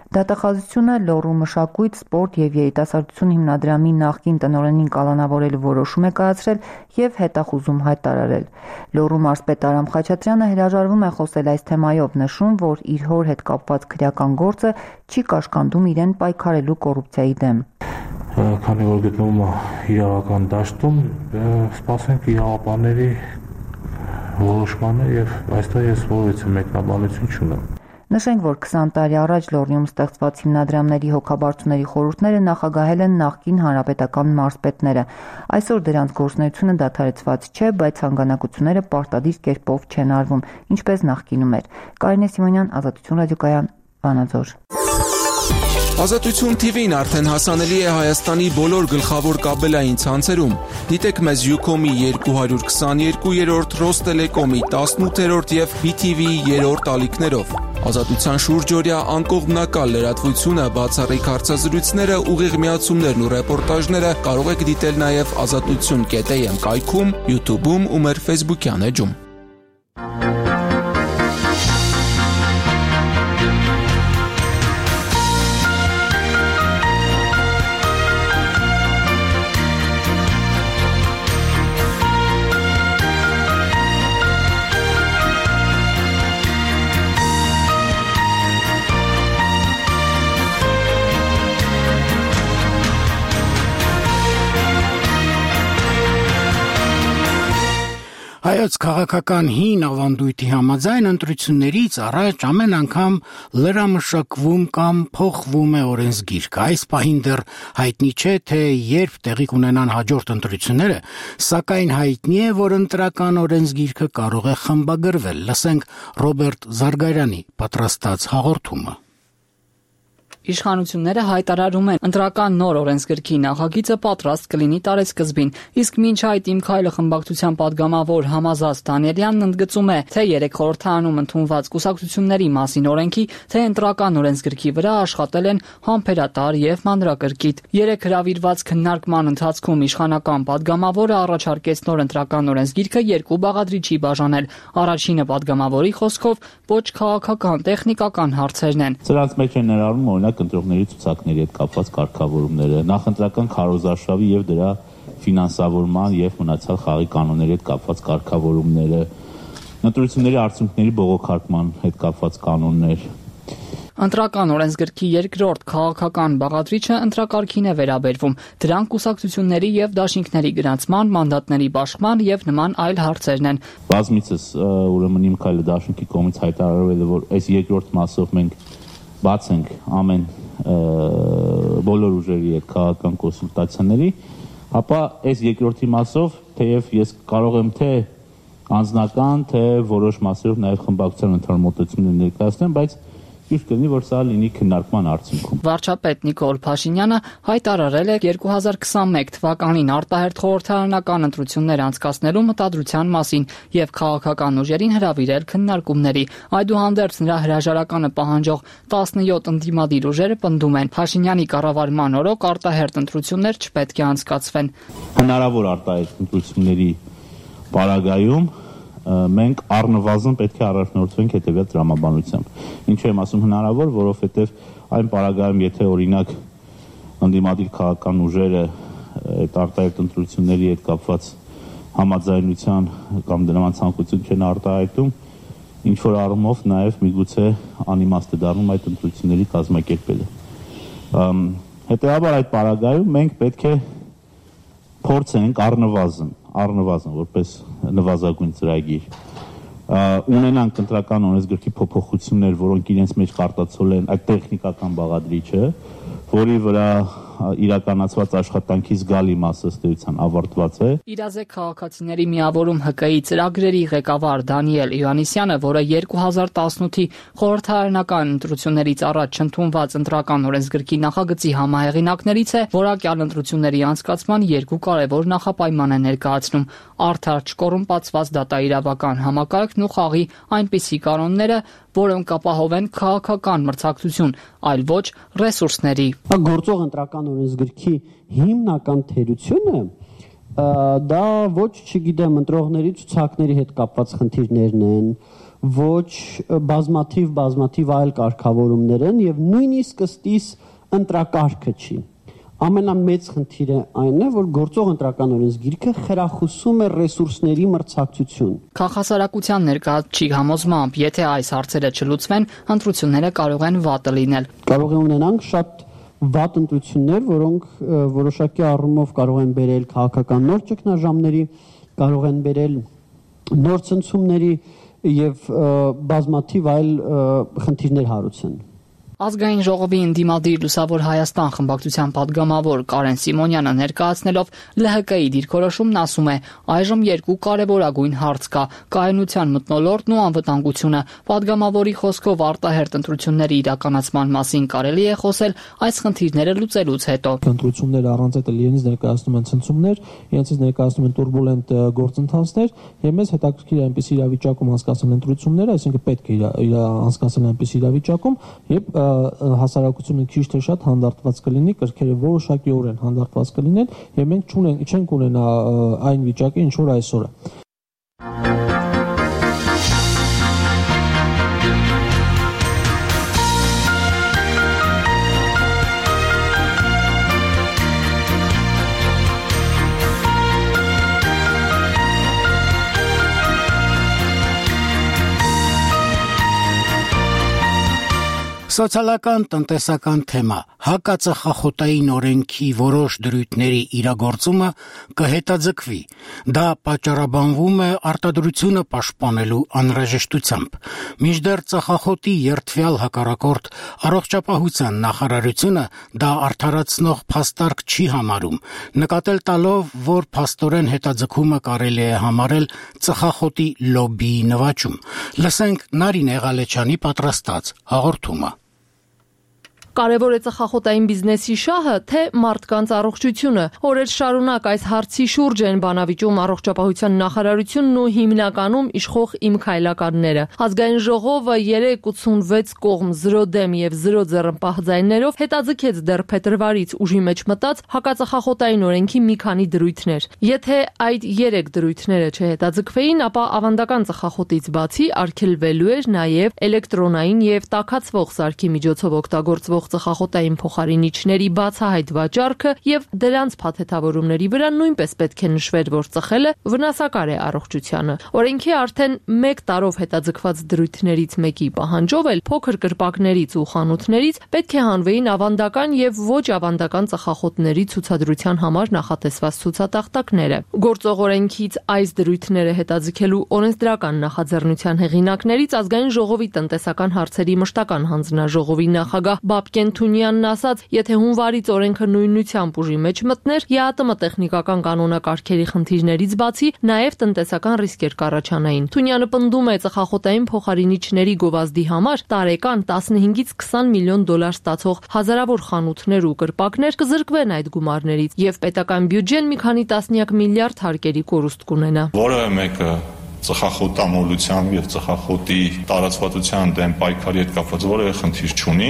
Դատախազությունը Լոռու մշակույթ, սպորտ եւ երիտասարդություն հիմնադրամի նախկին տնօրենին կալանավորելու որոշում է կայացրել եւ հետախուզում հայտարարել։ Լոռու մարզպետ Արամ Խաչատրյանը հրաժարվում է խոսել այս թեմայով, նշում, որ իր հոր հետ կապված քրեական գործը չի կաշկանդում իրեն պայքարելու կոռուպցիայի դեմ։ Քանի որ գտնվում է իրավական դաշտում, սպասենք իրավապահների որոշմանը եւ այստեղ ես որևէ մեկնաբանություն չունեմ։ Նշենք, որ քսան տարի առաջ Լոռիում ստեղծված հիմնադրամների հոգաբարձուների խորհուրդները նախագահել են նախկին հանրապետական մարզպետները։ Այսօր դրանց գործունեությունը դադարեցված չէ, բայց հանգանակությունները պարտադիր կերպով չեն արվում, ինչպես նախկինում էր։ Կարինե Սիմոնյան, Ազատություն ռադիոկայան, Վանաձոր։ Ազատություն թի վին արդեն հասանելի է Հայաստանի բոլոր գլխավոր կաբելային ցանցերում։ Դիտեք մեզ Յուքոմի երկու հարյուր քսաներկու, Ռոս Տելեկոմի տասնութ եւ բի թի վի երրորդ ալիքներով։ Ազատության շուրջօրյա անկողմնակալ լրատվությունը, բացառիկ հարցազրույցները, ուղիղ միացումներն ու ռեպորտաժները կարող եք դիտել նաև ազատություն կետ էմ կայքում, YouTube-ում ու մեր Facebook-յան էջում։ Հայոց քաղաքական հին ավանդույթի համաձայն ընտրություններից առաջ ամեն անգամ լրամշակվում կամ փոխվում է օրենսգիրքը։ Այս պահին դեռ հայտնի չէ, թե երբ տեղի կունենան հաջորդ ընտրությունները, սակայն հայտնի է, որ ընտրական օրենսգիրքը կարող է խմբագրվել։ Լսենք Ռոբերտ Զարգարյանի պատրաստած հաղորդումը։ Իշխանությունները հայտարարում են, ընտրական նոր օրենսգրքի նախագիծը պատրաստ կլինի տարեսկզբին, իսկ մինչ այդ Իմ քայլը խմբակցության падգամավոր Համազած Դանիելյանն ընդգծում է, թե երեք խորհրդարանում ընդունված կուսակցությունների մասին օրենքի, թե ընտրական օրենսգրքի վրա աշխատել են համբերատար եւ մանրակրկիտ։ Երեք հրավիրված քննարկման ընթացքում իշխանական падգամավորը առաջարկեց նոր ընտրական օրենսգիրքը երկու բաղադրիչի բաժանել։ Առաջինը падգամավորի խոսքով ոչ քաղաքական, տեխնիկական հարցերն են։ Սրանց մեջ են ներառում օրինակ ընտրողների ցուցակների հետ կապված կարգավորումները, նախընտրական քարոզարշավի եւ դրա ֆինանսավորման եւ մնացած խաղի կանոնների հետ կապված կարգավորումները, ընտրությունների արդյունքների բողոքարկման հետ կապված կանոններ։ Ընտրական օրենսգրքի երկրորդ քաղաքական բաղադրիչը ընտրակարգին է վերաբերվում։ Դրանք կուսակցությունների եւ դաշինքների գրանցման, մանդատների բաշխման եւ նման այլ հարցերն են։ Բազմիցս ուրեմն Իմ քայլը դաշինքի կողմից հայտարարվել է, որ այս երկրորդ մասով մենք բաց ենք ամեն բոլոր ուժերի հետ քաղաքական կոնսուլտացիաների, ապա այս երկրորդի մասով, թեև ես կարող եմ թե անձնական, թե որոշ մասերով նաև խմբակցության ընդհանուր մոտեցումներ ներկայացնեմ, բայց ճիշտ կլինի, որ սա լինի քննարկման արդյունքում։ Վարչապետ Նիկոլ Փաշինյանը հայտարարել է երկու հազար քսանմեկ թվականին արտահերթ խորհրդարանական ընտրություններ անցկացնելու մտադրության մասին եւ քաղաքական ուժերին հրավիրել քննարկումների։ Այդուհանդերձ նրա հրաժարականը պահանջող տասնյոթ ընդդիմադիր ուժերը պնդում են, Փաշինյանի կառավարման օրոք արտահերթ ընտրություններ չպետք է անցկացվեն։ Հնարավոր արտահերթ ընտրությունների պարագայում մենք առնվազն պետք է առաջնորդվենք հետևյալ տրամաբանությամբ։ Ինչու եմ ասում հնարավոր, որովհետև այն պարագայում, եթե օրինակ ընդդիմադիր քաղաքական ուժերը այդ արտահերթ ընտրությունների հետ կապված համաձայնության կամ դրան ցանկություն չեն արտահայտում, ինչ որ առումով նաև միգուցե անիմաստ է դառնում այդ ընտրությունների կազմակերպելը։ Հետևաբար այդ պարագայում մենք պետք է փորձենք առնվազն առնվազն որպես նվազագույն ծրագիր ունենանք ընտրական օրենսգրքի փոփոխություններ, որոնք իրենց մեջ կարտացոլ են այդ տեխնիկական բաղադրիչը, որի վրա իրականացված աշխատանքի զգալի մասը ըստ էության ավարտված է։ Իրազեկ քաղաքացիների միավորում Հ Կ-ի ծրագրերի ղեկավար Դանիել Իվանիսյանը, որը երկու հազար տասնութի խորհրդարանական ընտրություններից առաջ ընդունված ընտրական օրենսգրքի նախագծի համահեղինակներից է, որակյալ ընտրությունների անցկացման երկու կարևոր նախապայման է ներկայացնում՝ արդար չկոռումպացված դատաիրավական համակարգն ու խաղի այնպիսի կանոնները, որոնք ապահովեն քաղաքական մրցակցություն, այլ ոչ ռեսուրսների։ Գործող ընտրական օրենսգրքի հիմնական թերությունը դա ոչ, չգիտեմ, ընտրողների ցուցակների հետ կապված խնդիրներն են, ոչ բազմաթիվ բազմաթիվ այլ կարգավորումներ են եւ նույնիսկ ըստիս ընտրակարգը չի։ Ամենամեծ խնդիրը այն է, որ գործող ընտրական օրենսգիրքը խրախուսում է ռեսուրսների մրցակցություն։ Քաղաքասարակության ներկայացուցիչ համոզմամբ, եթե այս հարցերը չլուծվեն, ընտրությունները կարող են վատը լինել։ Կարող է ունենանք շատ վատ ընտրություններ, որոնք որոշակի առումով կարող են բերել քաղաքական նոր ճգնաժամերի, կարող են բերել նոր ցնցումների եւ բազմաթիվ այլ խնդիրներ հարուցեն։ Ազգային ժողովի ընդդիմադիր Լուսավոր Հայաստան խմբակցության падգամավոր Կարեն Սիմոնյանը ներկայացնելով Լ Հ Կ-ի դիրքորոշումն ասում է, այժմ երկու կարևորագույն հարց կա՝ կայունության մթնոլորտն ու անվտանգությունը։ Падգամավորի խոսքով արտահերթ ընտրությունների իրականացման մասին կարելի է խոսել այս խնդիրները լուծելուց հետո։ Ընտրությունները առանց այդ իրենից ներկայացնում են ցնցումներ, իրենից ներկայացնում են տուրբուլենտ գործընթացներ, եւ մեզ հետաքրքիր է այնպես իրավիճակում անցկացնել ընտրությունները, այսինքն պետք է անցկացնել այնպես իրավիճակում, եւ հասարակությունը քիչ թե շատ հանդարտված կլինի, կրքերը որոշակիորեն հանդարտված կլինեն եւ մենք չունենք չենք ունենա այն վիճակը, ինչ որ այսօր է։ Սոցիալական տնտեսական թեմա հակածխախոտային օրենքի որոշ դրույթների իրագործումը կհետաձգվի։ Դա պատճառաբանվում է արտադրությունը պաշտպանելու անհրաժեշտությամբ։ Մինչդեռ ծխախոտի երթվյալ հակառակորդ առողջապահության նախարարությունը դա արդարացնող փաստարկ չի համարում, նկատել տալով, որ փաստորեն հետաձգումը կարելի է համարել ծխախոտի լոբբիի նվաճում։ Լսենք Նարինե Ղալեչյանի պատրաստած հաղորդումը։ Կարևոր է ծխախոտային բիզնեսի շահը, թե մարդկանց առողջությունը։ Օրեր շարունակ այս հարցի շուրջ են բանավիճում առողջապահության նախարարությունն ու հիմնականում իշխող Իմ քայլականները։ Ազգային ժողովը երեք ութսունվեց կողմ զրո դեմ եւ զրո ձեռնպահ ձայներով հետաձգեց դեռ փետրվարից ուժի մեջ մտած հակածխախոտային օրենքի մի քանի դրույթներ։ Եթե այդ երեք դրույթները չհետաձգվեին, ապա ավանդական ծխախոտից բացի արգելվելու էր նաեւ էլեկտրոնային եւ տաքացվող սարքի միջոցով օգտագործվող ծխախոտային փոխարինիչների բացահայտ վաճառքը եւ դրանց փաթեթավորումների վրա նույնպես պետք է նշվեր, որ ծխելը վնասակար է առողջությանը։ Օրենքի արդեն մեկ տարով հետաձգված դրույթներից մեկի պահանջով էլ փոքր կրպակներից ու խանութներից պետք է հանվեին ավանդական եւ ոչ ավանդական ծխախոտների ցուցադրության համար նախատեսված ցուցատախտակները։ Գործող օրենքից այս դրույթները հետաձգելու օրենսդրական նախաձեռնության հեղինակներից Ազգային ժողովի տնտեսական հարցերի մշտական հանձնաժողովի նախագահ Բաբկեն Բաբկեն Թունյանն ասաց, եթե հունվարից օրենքը նույնությամբ ուժի մեջ մտներ, ԵԱՏՄ տեխնիկական կանոնակարգերի խնդիրներից բացի նաև տնտեսական ռիսկեր կառաջանային։ Թունյանը պնդում է, ծխախոտային փոխարինիչների գովազդի համար տարեկան տասնհինգից քսան միլիոն դոլար ստացող հազարավոր խանութներ ու կրպակներ կզրկվեն այդ գումարներից, եւ պետական բյուջեն մի քանի տասնյակ միլիարդ հարկերի կորուստ կունենա։ Որևէ մեկը ծխախոտամոլությամբ եւ ծխախոտի տարածվածության դեմ պայքարի հետ կապված որևէ խնդիր չունի։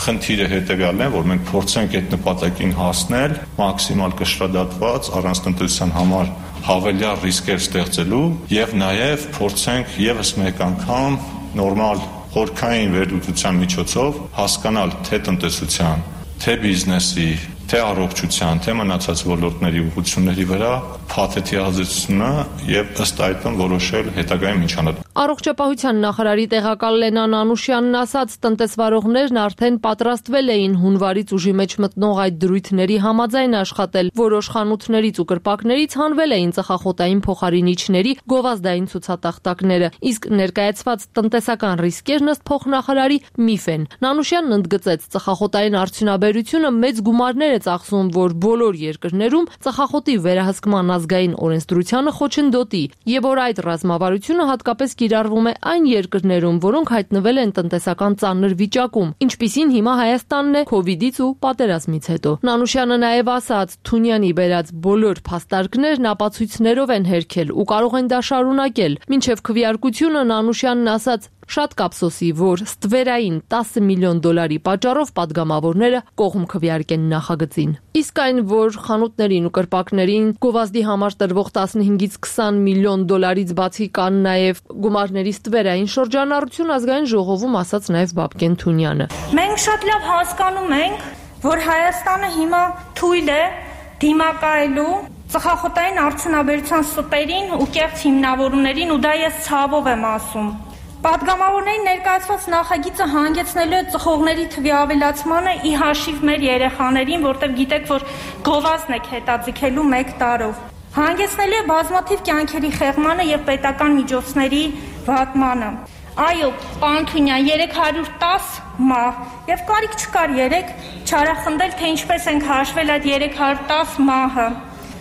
Խնդիրը հետեւյալն է, որ մենք փորձենք այդ նպատակին հասնել մաքսիմալ կշռադատված առանց տնտեսության համար հավելյալ ռիսկեր ստեղծելու եւ նաեւ փորձենք եւս մեկ անգամ նորմալ խորքային վերլուծության միջոցով հասկանալ թե տնտեսության, թե բիզնեսի, թե առողջության, թե մնացած ոլորտների ուղղությունների վրա փաթեթի ազդեցությունը եւ ըստ այդմ որոշել հետագայում ինչ անել։ Առողջապահության նախարարի տեղակալ Լենան Անուշյանն ասաց, տնտեսվարողներն արդեն պատրաստվել էին հունվարից ուժի մեջ մտնող այդ դրույթների համաձայն աշխատել։ Որոշ խանութներից ու կրպակներից հանվել էին ծխախոտային փոխարինիչների գովազդային ցուցատախտակները, իսկ ներկայացված տնտեսական ռիսկերն ըստ փոխնախարարի միֆ են։ Նանուշյանն ընդգծեց, ծխախոտային արդյունաբերությունը մեծ գումարներ է ծախսում, որ բոլոր երկրներում ծխախոտի վերահսկման ազգային օրենսդրությանը խոչընդոտի, եւ որ այդ ռազմավարությունը հատկապես կիրառվում է այն երկրներում, որոնք հայտնվել են տնտեսական ծանր վիճակում, ինչպիսին հիմա Հայաստանն է քովիդից ու պատերազմից հետո։ Նանուշյանը նաեւ ասաց, Թունյանի բերած բոլոր փաստարկներն ապացույցներով են հերքել ու կարող են դա շարունակել։ Մինչև քվեարկությունը Նանուշյանն ասաց, շատ կապսոսի, որ ստվերային տասը միլիոն դոլարի պատճառով падգամավորները կողմ քվեարկեն նախագծին։ Իսկ այն, որ խանութներին ու կրպակներին գովազդի համար տրվող տասնհինգից քսան միլիոն դոլարից բացի կան նաև գումարների ստվերային շրջանառություն, ազգային ժողովում ասաց նաև Բաբկեն Թունյանը։ Մենք շատ լավ հասկանում ենք, որ Հայաստանը հիմա թույլ է դիմակայելու ծխախոտային արդյունաբերության ստերին ու կեղծ հիմնավորումներին, ու դա ես ցավով եմ ասում։ Պատգամավորների ներկայացված նախագիծը հանգեցնելու է ծխողների թվի ավելացմանը ի հաշիվ մեր երեխաներին, որտեղ գիտեք, որ գովազդն եք հետաձգելու մեկ տարով։ Հանգեցնելու է բազմաթիվ կյանքերի խեղմանը եւ պետական միջոցների վատմանը։ Այո, պարոն Թունյան, երեք հարյուր տասը մահ, եւ կարիք չկար երեք չարախնդել, թե ինչպես ենք հաշվել այդ երեք հարյուր տասը մահը։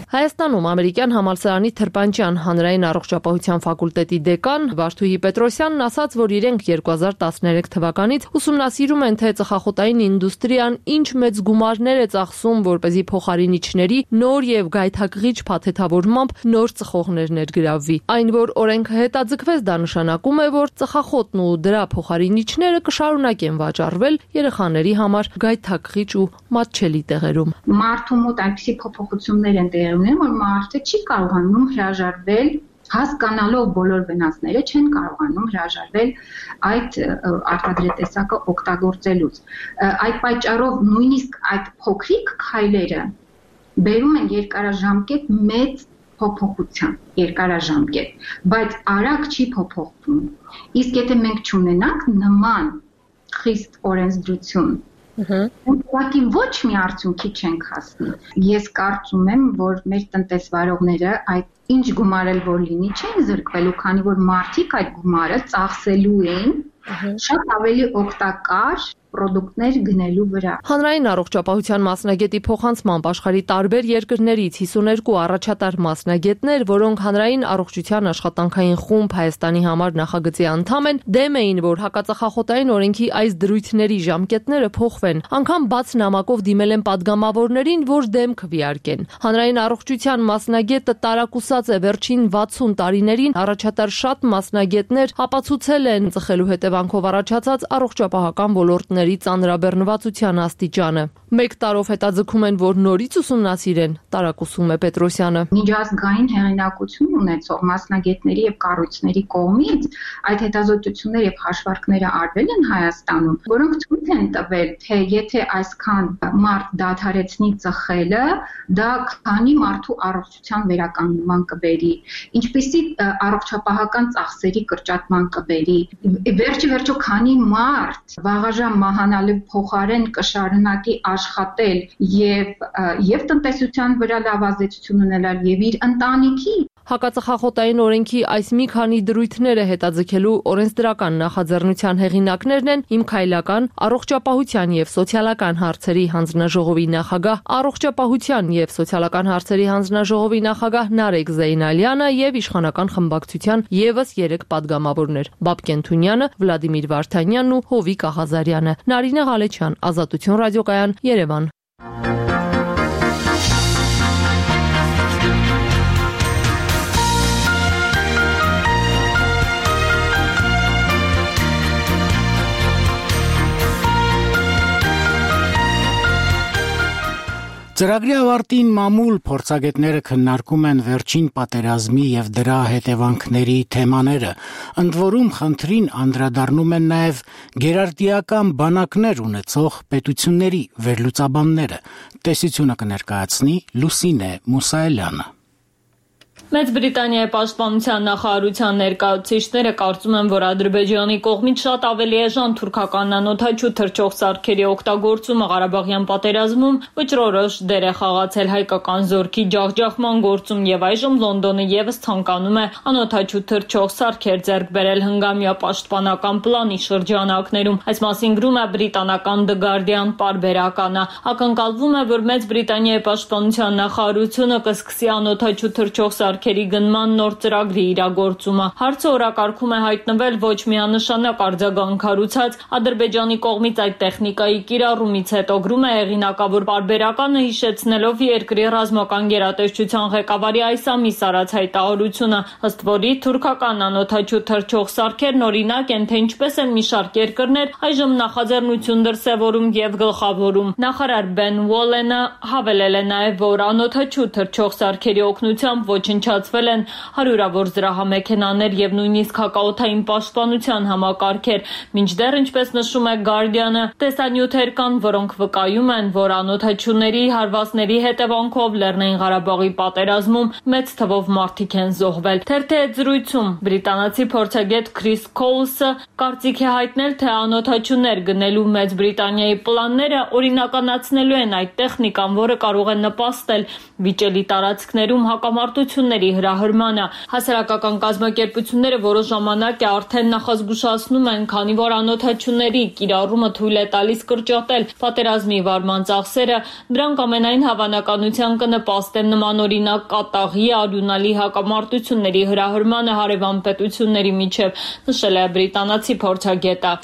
Հայաստանում ամերիկյան համալսարանի Թրպանչյան հանրային առողջապահության ֆակուլտետի դեկան Վարդուհի Պետրոսյանն ասաց, որ իրենք երկու հազար տասներեք թվականից ուսումնասիրում են, թե ծխախոտային ինդուստրիան ինչ մեծ գումարներ է ծախսում, որպեսզի փոխարինիչների նոր եւ գայթակղիչ փաթեթավորմամբ նոր ծխողներ ներգրավվի։ Այն, որ օրենքը հետաձգվեց, դա նշանակում է, որ ծխախոտն ու դրա փոխարինիչները կշարունակեն վաճառվել երեխաների համար գայթակղիչ ու մատչելի տեղերում։ Մարդու մոտ այնպիսի փոփոխություններ են տեղի ունենում, որ մարդը չի կարողանում հրաժարվել, հասկանալով բոլոր վնասները, չեն կարողանում հրաժարվել այդ արտադրետեսակը օգտագործելուց։ Այդ պատճառով նույնիսկ այդ փոքրիկ քայլերը բերում են երկարաժամկետ մեծ փոփոխության, երկարաժամկետ, բայց արագ չի փոփոխվում։ Իսկ եթե մենք չունենանք նման խիստ օրենսդրություն, ուղղակի ոչ մի արդյունքի չենք հասնի։ Ես կարծում եմ, որ մեր տնտեսվարողները այդ ինչ գումար էլ որ լինի չեն զրկվելու, քանի որ մարդիկ այդ գումարը ծախսելու են շատ ավելի օգտակար պրոդուկտներ գնելու վրա։ Հանրային առողջապահության մասնագետի փոխանցմամբ աշխարհի տարբեր երկրներից հիսուներկու առաջատար մասնագետներ, որոնք հանրային առողջության աշխատանքային խումբ Հայաստանի համար նախագծի անդամ են, դեմ էին, որ հակածխախոտային օրենքի այս դրույթների ժամկետները փոխվեն, անգամ բաց նամակով դիմել են падգամավորներին, որ դեմ քվեարկեն։ Հանրային առողջության մասնագետը տարակուսած է վերջին վաթսուն տարիներին առաջատար շատ մասնագետներ ապացուցել են ծխելու հետևանքով առաջացած առողջապահական ոլորտների ծանրաբեռնվածության աստիճանը։ Մեկ տարով հետաձգում են, որ նորից ուսումնասիրեն, տարակուսում է Պետրոսյանը։ Միջազգային հեղինակություն ունեցող մասնագետների եւ կառույցների կողմից այդ հետազոտությունները եւ հաշվարկները արվել են Հայաստանում, որոնք ցույց են տվել, թե եթե այսքան մարդ դադարեցնի ծխելը, դա քանի մարդու առողջության վերականգնման կբերի, ինչպիսի առողջապահական ծախսերի կրճատման կբերի, վերջի վերջո քանի մարդ վաղաժամ մահանալու փոխարեն կշարունակի աշխատել եւ եւ տնտեսության վրա լավ ազդեցություն ունենալ եւ իր ընտանիքի Հակածխախոտային օրենքի այս մի քանի դրույթները հետաձգելու օրենսդրական նախաձեռնության հեղինակներն են Իմ քայլական, առողջապահության եւ սոցիալական հարցերի հանձնաժողովի նախագահ, առողջապահության եւ սոցիալական հարցերի հանձնաժողովի նախագահ Նարեկ Զեյնալյանը եւ իշխանական խմբակցության եւս երեք падգամավորներ՝ Բաբկեն Թունյանը, Վլադիմիր Վարդանյանն ու Հովիկ Աղազարյանը։ Նարինե Ղալեչյան, Ազատություն ռադիոկայան, Երևան։ Ծրագրի ավարտին մամուլ փորձագետները քննարկում են վերջին պատերազմի եւ դրա հետևանքների թեմաները, ընդ որում խնդրին անդրադառնում են նաեւ գերարդիական բանակներ ունեցող պետությունների վերլուծաբանները։ Տեսությունը կներկայացնի Լուսինե Մուսայելյանը։ Մեծ Բրիտանիայի պաշտպանության նախարարության ներկայացուցիչները կարծում են, որ Ադրբեջանի կողմից շատ ավելի էժան թուրքական անօդաչու թռչող սարքերի օգտագործումը Ղարաբաղյան պատերազմում վճռորոշ դեր է խաղացել հայկական զորքի ջախջախման գործում եւ այժմ Լոնդոնը եւս ցանկանում է անօդաչու թռչող սարքեր ձեռք բերել հնգամյա պաշտպանական պլանի շրջանակներում։ Այս մասին գրում է բրիտանական The Guardian պարբերականը։ Ակնկալվում է, որ Մեծ Բրիտանիայի պաշտպանության նախարարությունը կսկսի անօդաչու թռչող սարքերի գնման նոր ծրագրի իրագործումը։ Հարցը օրակարգում է հայտնվել ոչ միանշանակ արձագանքարուցած Ադրբեջանի կողմից այդ տեխնիկայի կիրառումից հետո, գրում է հեղինակավոր պարբերականը, հիշեցնելով երկրի ռազմական գերատեսչության ղեկավարի այս ամիս արած հայտարարությունը, ըստ որի թուրքական անօդաչու թռչող սարքերն օրինակ են, թե ինչպես են մի շարք երկրներ այժմ նախաձեռնություն դրսևորում եւ գլխավորում։ Նախարար Բեն Ուոլենը հավելել է նաեւ, որ անօդաչու թռչող սարքերի օգնությամբ ոչնչացվել են հարյուրավոր զրահամեքենաներ եւ նույնիսկ հակաօդային պաշտպանության համակարգեր։ Մինչդեռ, ինչպես նշում է Guardian-ը, տեսանյութեր կան, որոնք վկայում են, որ անօդաչուների հարվածների հետևանքով Լեռնային Ղարաբաղի պատերազմում մեծ թվով մարդիկ են զոհվել։ Թերթի հետ զրույցում բրիտանացի փորձագետ Քրիս Քոլսը կարծիք է հայտնել, թե անօդաչուներ գնելու Մեծ Բրիտանիայի պլանները օրինականացնելու են այդ տեխնիկան, որը կարող է նպաստել վիճելի տարածքներում հակամարտությունների հրահրմանը։ Հասարակական կազմակերպությունները որոշ ժամանակ է արդեն նախազգուշացնում են, քանի որ անօդաչուների կիրառումը թույլ է տալիս կրճատել պատերազմի վարման ծախսերը, դրանք ամենայն հավանականության կնպաստեն նմանօրինակ կատաղի արյունալի հակամարտությունների հրահրմանը հարևան պետությունների միջև, նշել է բրիտանացի փորձագետը։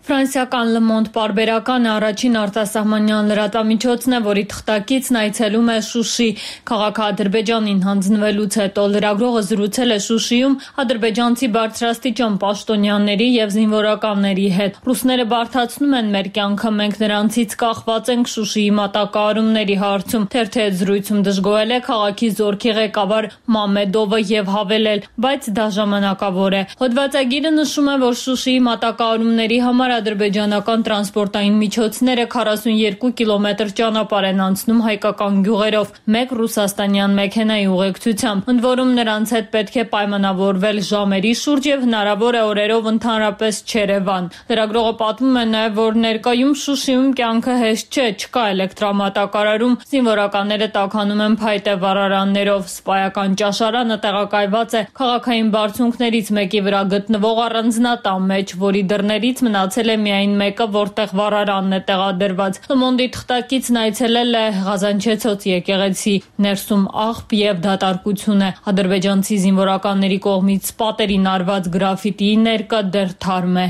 Ֆրանսիական Le Monde պարբերականը առաջին արտասահմանյան լրատվամիջոցն է, որի թղթակիցն այցելում է Շուշի։ Քաղաքը Ադրբեջանին հանձնվելուց հետո լրագրողը զրուցել է Շուշիում ադրբեջանցի բարձրաստիճան պաշտոնյաների եւ զինվորականների հետ։ Ռուսները բարդացնում են մեր կյանքը, մենք նրանցից կախված ենք Շուշիի մատակարարումների հարցում։ Թերթի հետ զրույցում դժգոհել է քաղաքի զորքի ղեկավար Մամեդովը եւ հավելել, բայց դա ժամանակավոր է։ Հոդվածագիրը նշում է, որ Շուշիի մատակարարումների համար ադրբեջանական տրանսպորտային միջոցները քառասունյոթ կիլոմետր ճանապարհ են անցնում հայկական գյուղերով, մեկ ռուսաստանյան մեքենայի ուղեկցությամբ, ընդ որում նրանց հետ պետք է պայմանավորվել ժամերի շուրջ եւ հնարավոր է օրերով ընդհանրապես չերևան։ Լրագրողը պատմում է նաեւ, որ ներկայում Շուշիում կյանքը հեշտ չէ, չկա էլեկտրամատակարարում, զինվորականները տաքանում են փայտե վառարաններով, սպայական ճաշարանը տեղակայված է քաղաքային բարձունքներից մեկի վրա գտնվող առանձնատան մեջ, որի դռներից մնացել է միայն մեկը, որտեղ վառարանն է տեղադրված։ Le Monde-ի թղթակիցն այցելել է Ղազանչեցոց եկեղեցի, ներսում աղբ եւ դատարկություն է։ Ադրբեջանցի զինվորականների կողմից պատերին արված գրաֆիտիի ներկը դեռ թարմ է։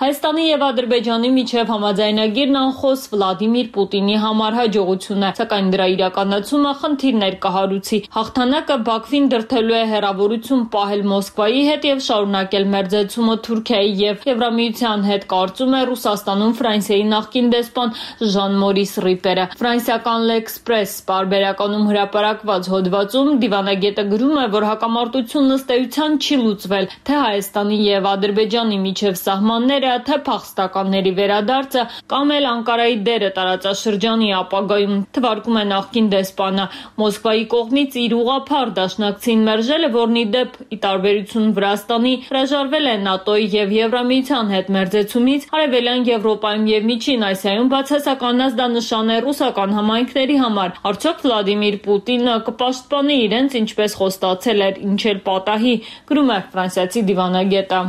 Հայաստանի եւ Ադրբեջանի միջև համաձայնագիրն անխոս Վլադիմիր Պուտինի համար հաջողություն է, սակայն դրա իրականացումը խնդիրներ կհարուցի։ Հաղթանակը Բաքվին դրդելու է հեռավորություն պահել Մոսկվայի հետ եւ շարունակել մերձեցումը Թուրքիայի եւ Եվրամիության հետ, կարծում է Ռուսաստանում Ֆրանսիայի նախկին դեսպան Ժան-Մորիս Ռիպերը։ Ֆրանսիական L'Express պարբերականում հրապարակված հոդվածում դիվանագետը գրում է, որ հակամարտությունն ըստ էության չի լուծվել, թե Հայաստանի եւ Ադրբեջանի միջև սահմանները կոալիցիա, թե փախստականների վերադարձը կամ էլ Անկարայի դերը տարածաշրջանի ապագայում, թվարկում է նախկին դեսպանը։ Մոսկվայի կողմից իր ուղղափառ դաշնակցին մերժելը, որն ի դեպ ի տարբերություն Վրաստանի հրաժարվել է ՆԱՏՕ-ի եւ Եվրամիության հետ մերձեցումից, Արևելյան Եվրոպայում եւ Միջին Ասիայում բացասական ազդանշան է ռուսական համայնքների համար։ Արդյոք Վլադիմիր Պուտինը կպաշտպանի իրենց, ինչպես խոստացել էր, ինչ էլ պատահի, գրում է ֆրանսիացի դիվանագետը։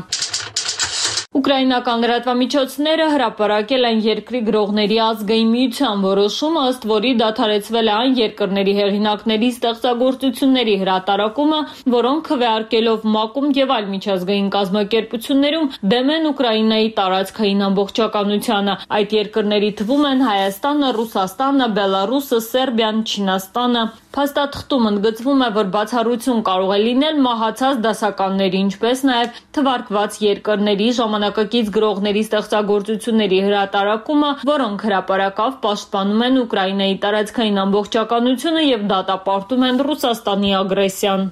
Ուկրաինական լրատվամիջոցները հրապարակել են երկրի գրողների ազգային միության որոշումը, ըստ որի դադարեցվել է այն երկրների հեղինակների ստեղծագործությունների հրատարակումը, որոնք քվեարկելով ՄԱԿ-ում եւ այլ միջազգային կազմակերպություններում դեմ են Ուկրաինայի տարածքային ամբողջականությանը։ Այդ երկրների թվում են Հայաստանը, Ռուսաստանը, Բելարուսը, Սերբիան, Չինաստանը։ Փաստաթղթում ընդգծվում է, որ բացառություն կարող է լինել մահացած դասականների, ինչպես նաև թվարկված երկրների ժամանակակից գրողների ստեղծագործությունների հրատարակումը, որոնք հրապարակավ պաշտպանում են Ուկրաինայի տարածքային ամբողջականությունը եւ դատապարտում են Ռուսաստանի ագրեսիան։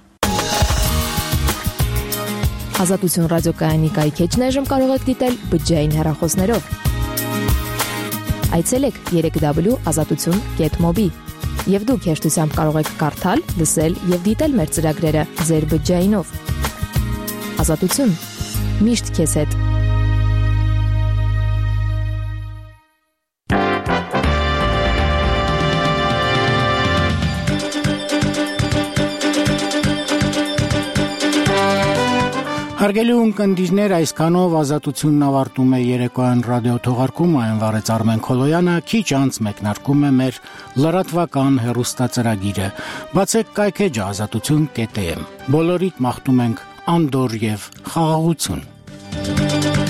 Ազատություն ռադիոկայանի կայքեջն այժմ կարող եք դիտել բջջային հեռախոսներով։ Այցելեք երեք w ազատություն կետ մոբի եւ դուք հեշտությամբ կարող եք կարդալ, լսել եւ դիտել մեր ծրագրերը ձեր բջջայինով։ Ազատություն միշտ քեզ հետ։ Հարգելի ունկնդիրներ, այսքանով Ազատությունն ավարտում է երեկոյան ռադիոթողարկումը, այն վարեց Արմեն Քոլոյանը, քիչ անց մեկնարկում է մեր լրատվական հեռուստածրագիրը։ Բացեք կայքեջը ազատություն կետ էմ։ Բոլորիդ մաղթում ենք անդոր եւ խաղաղություն։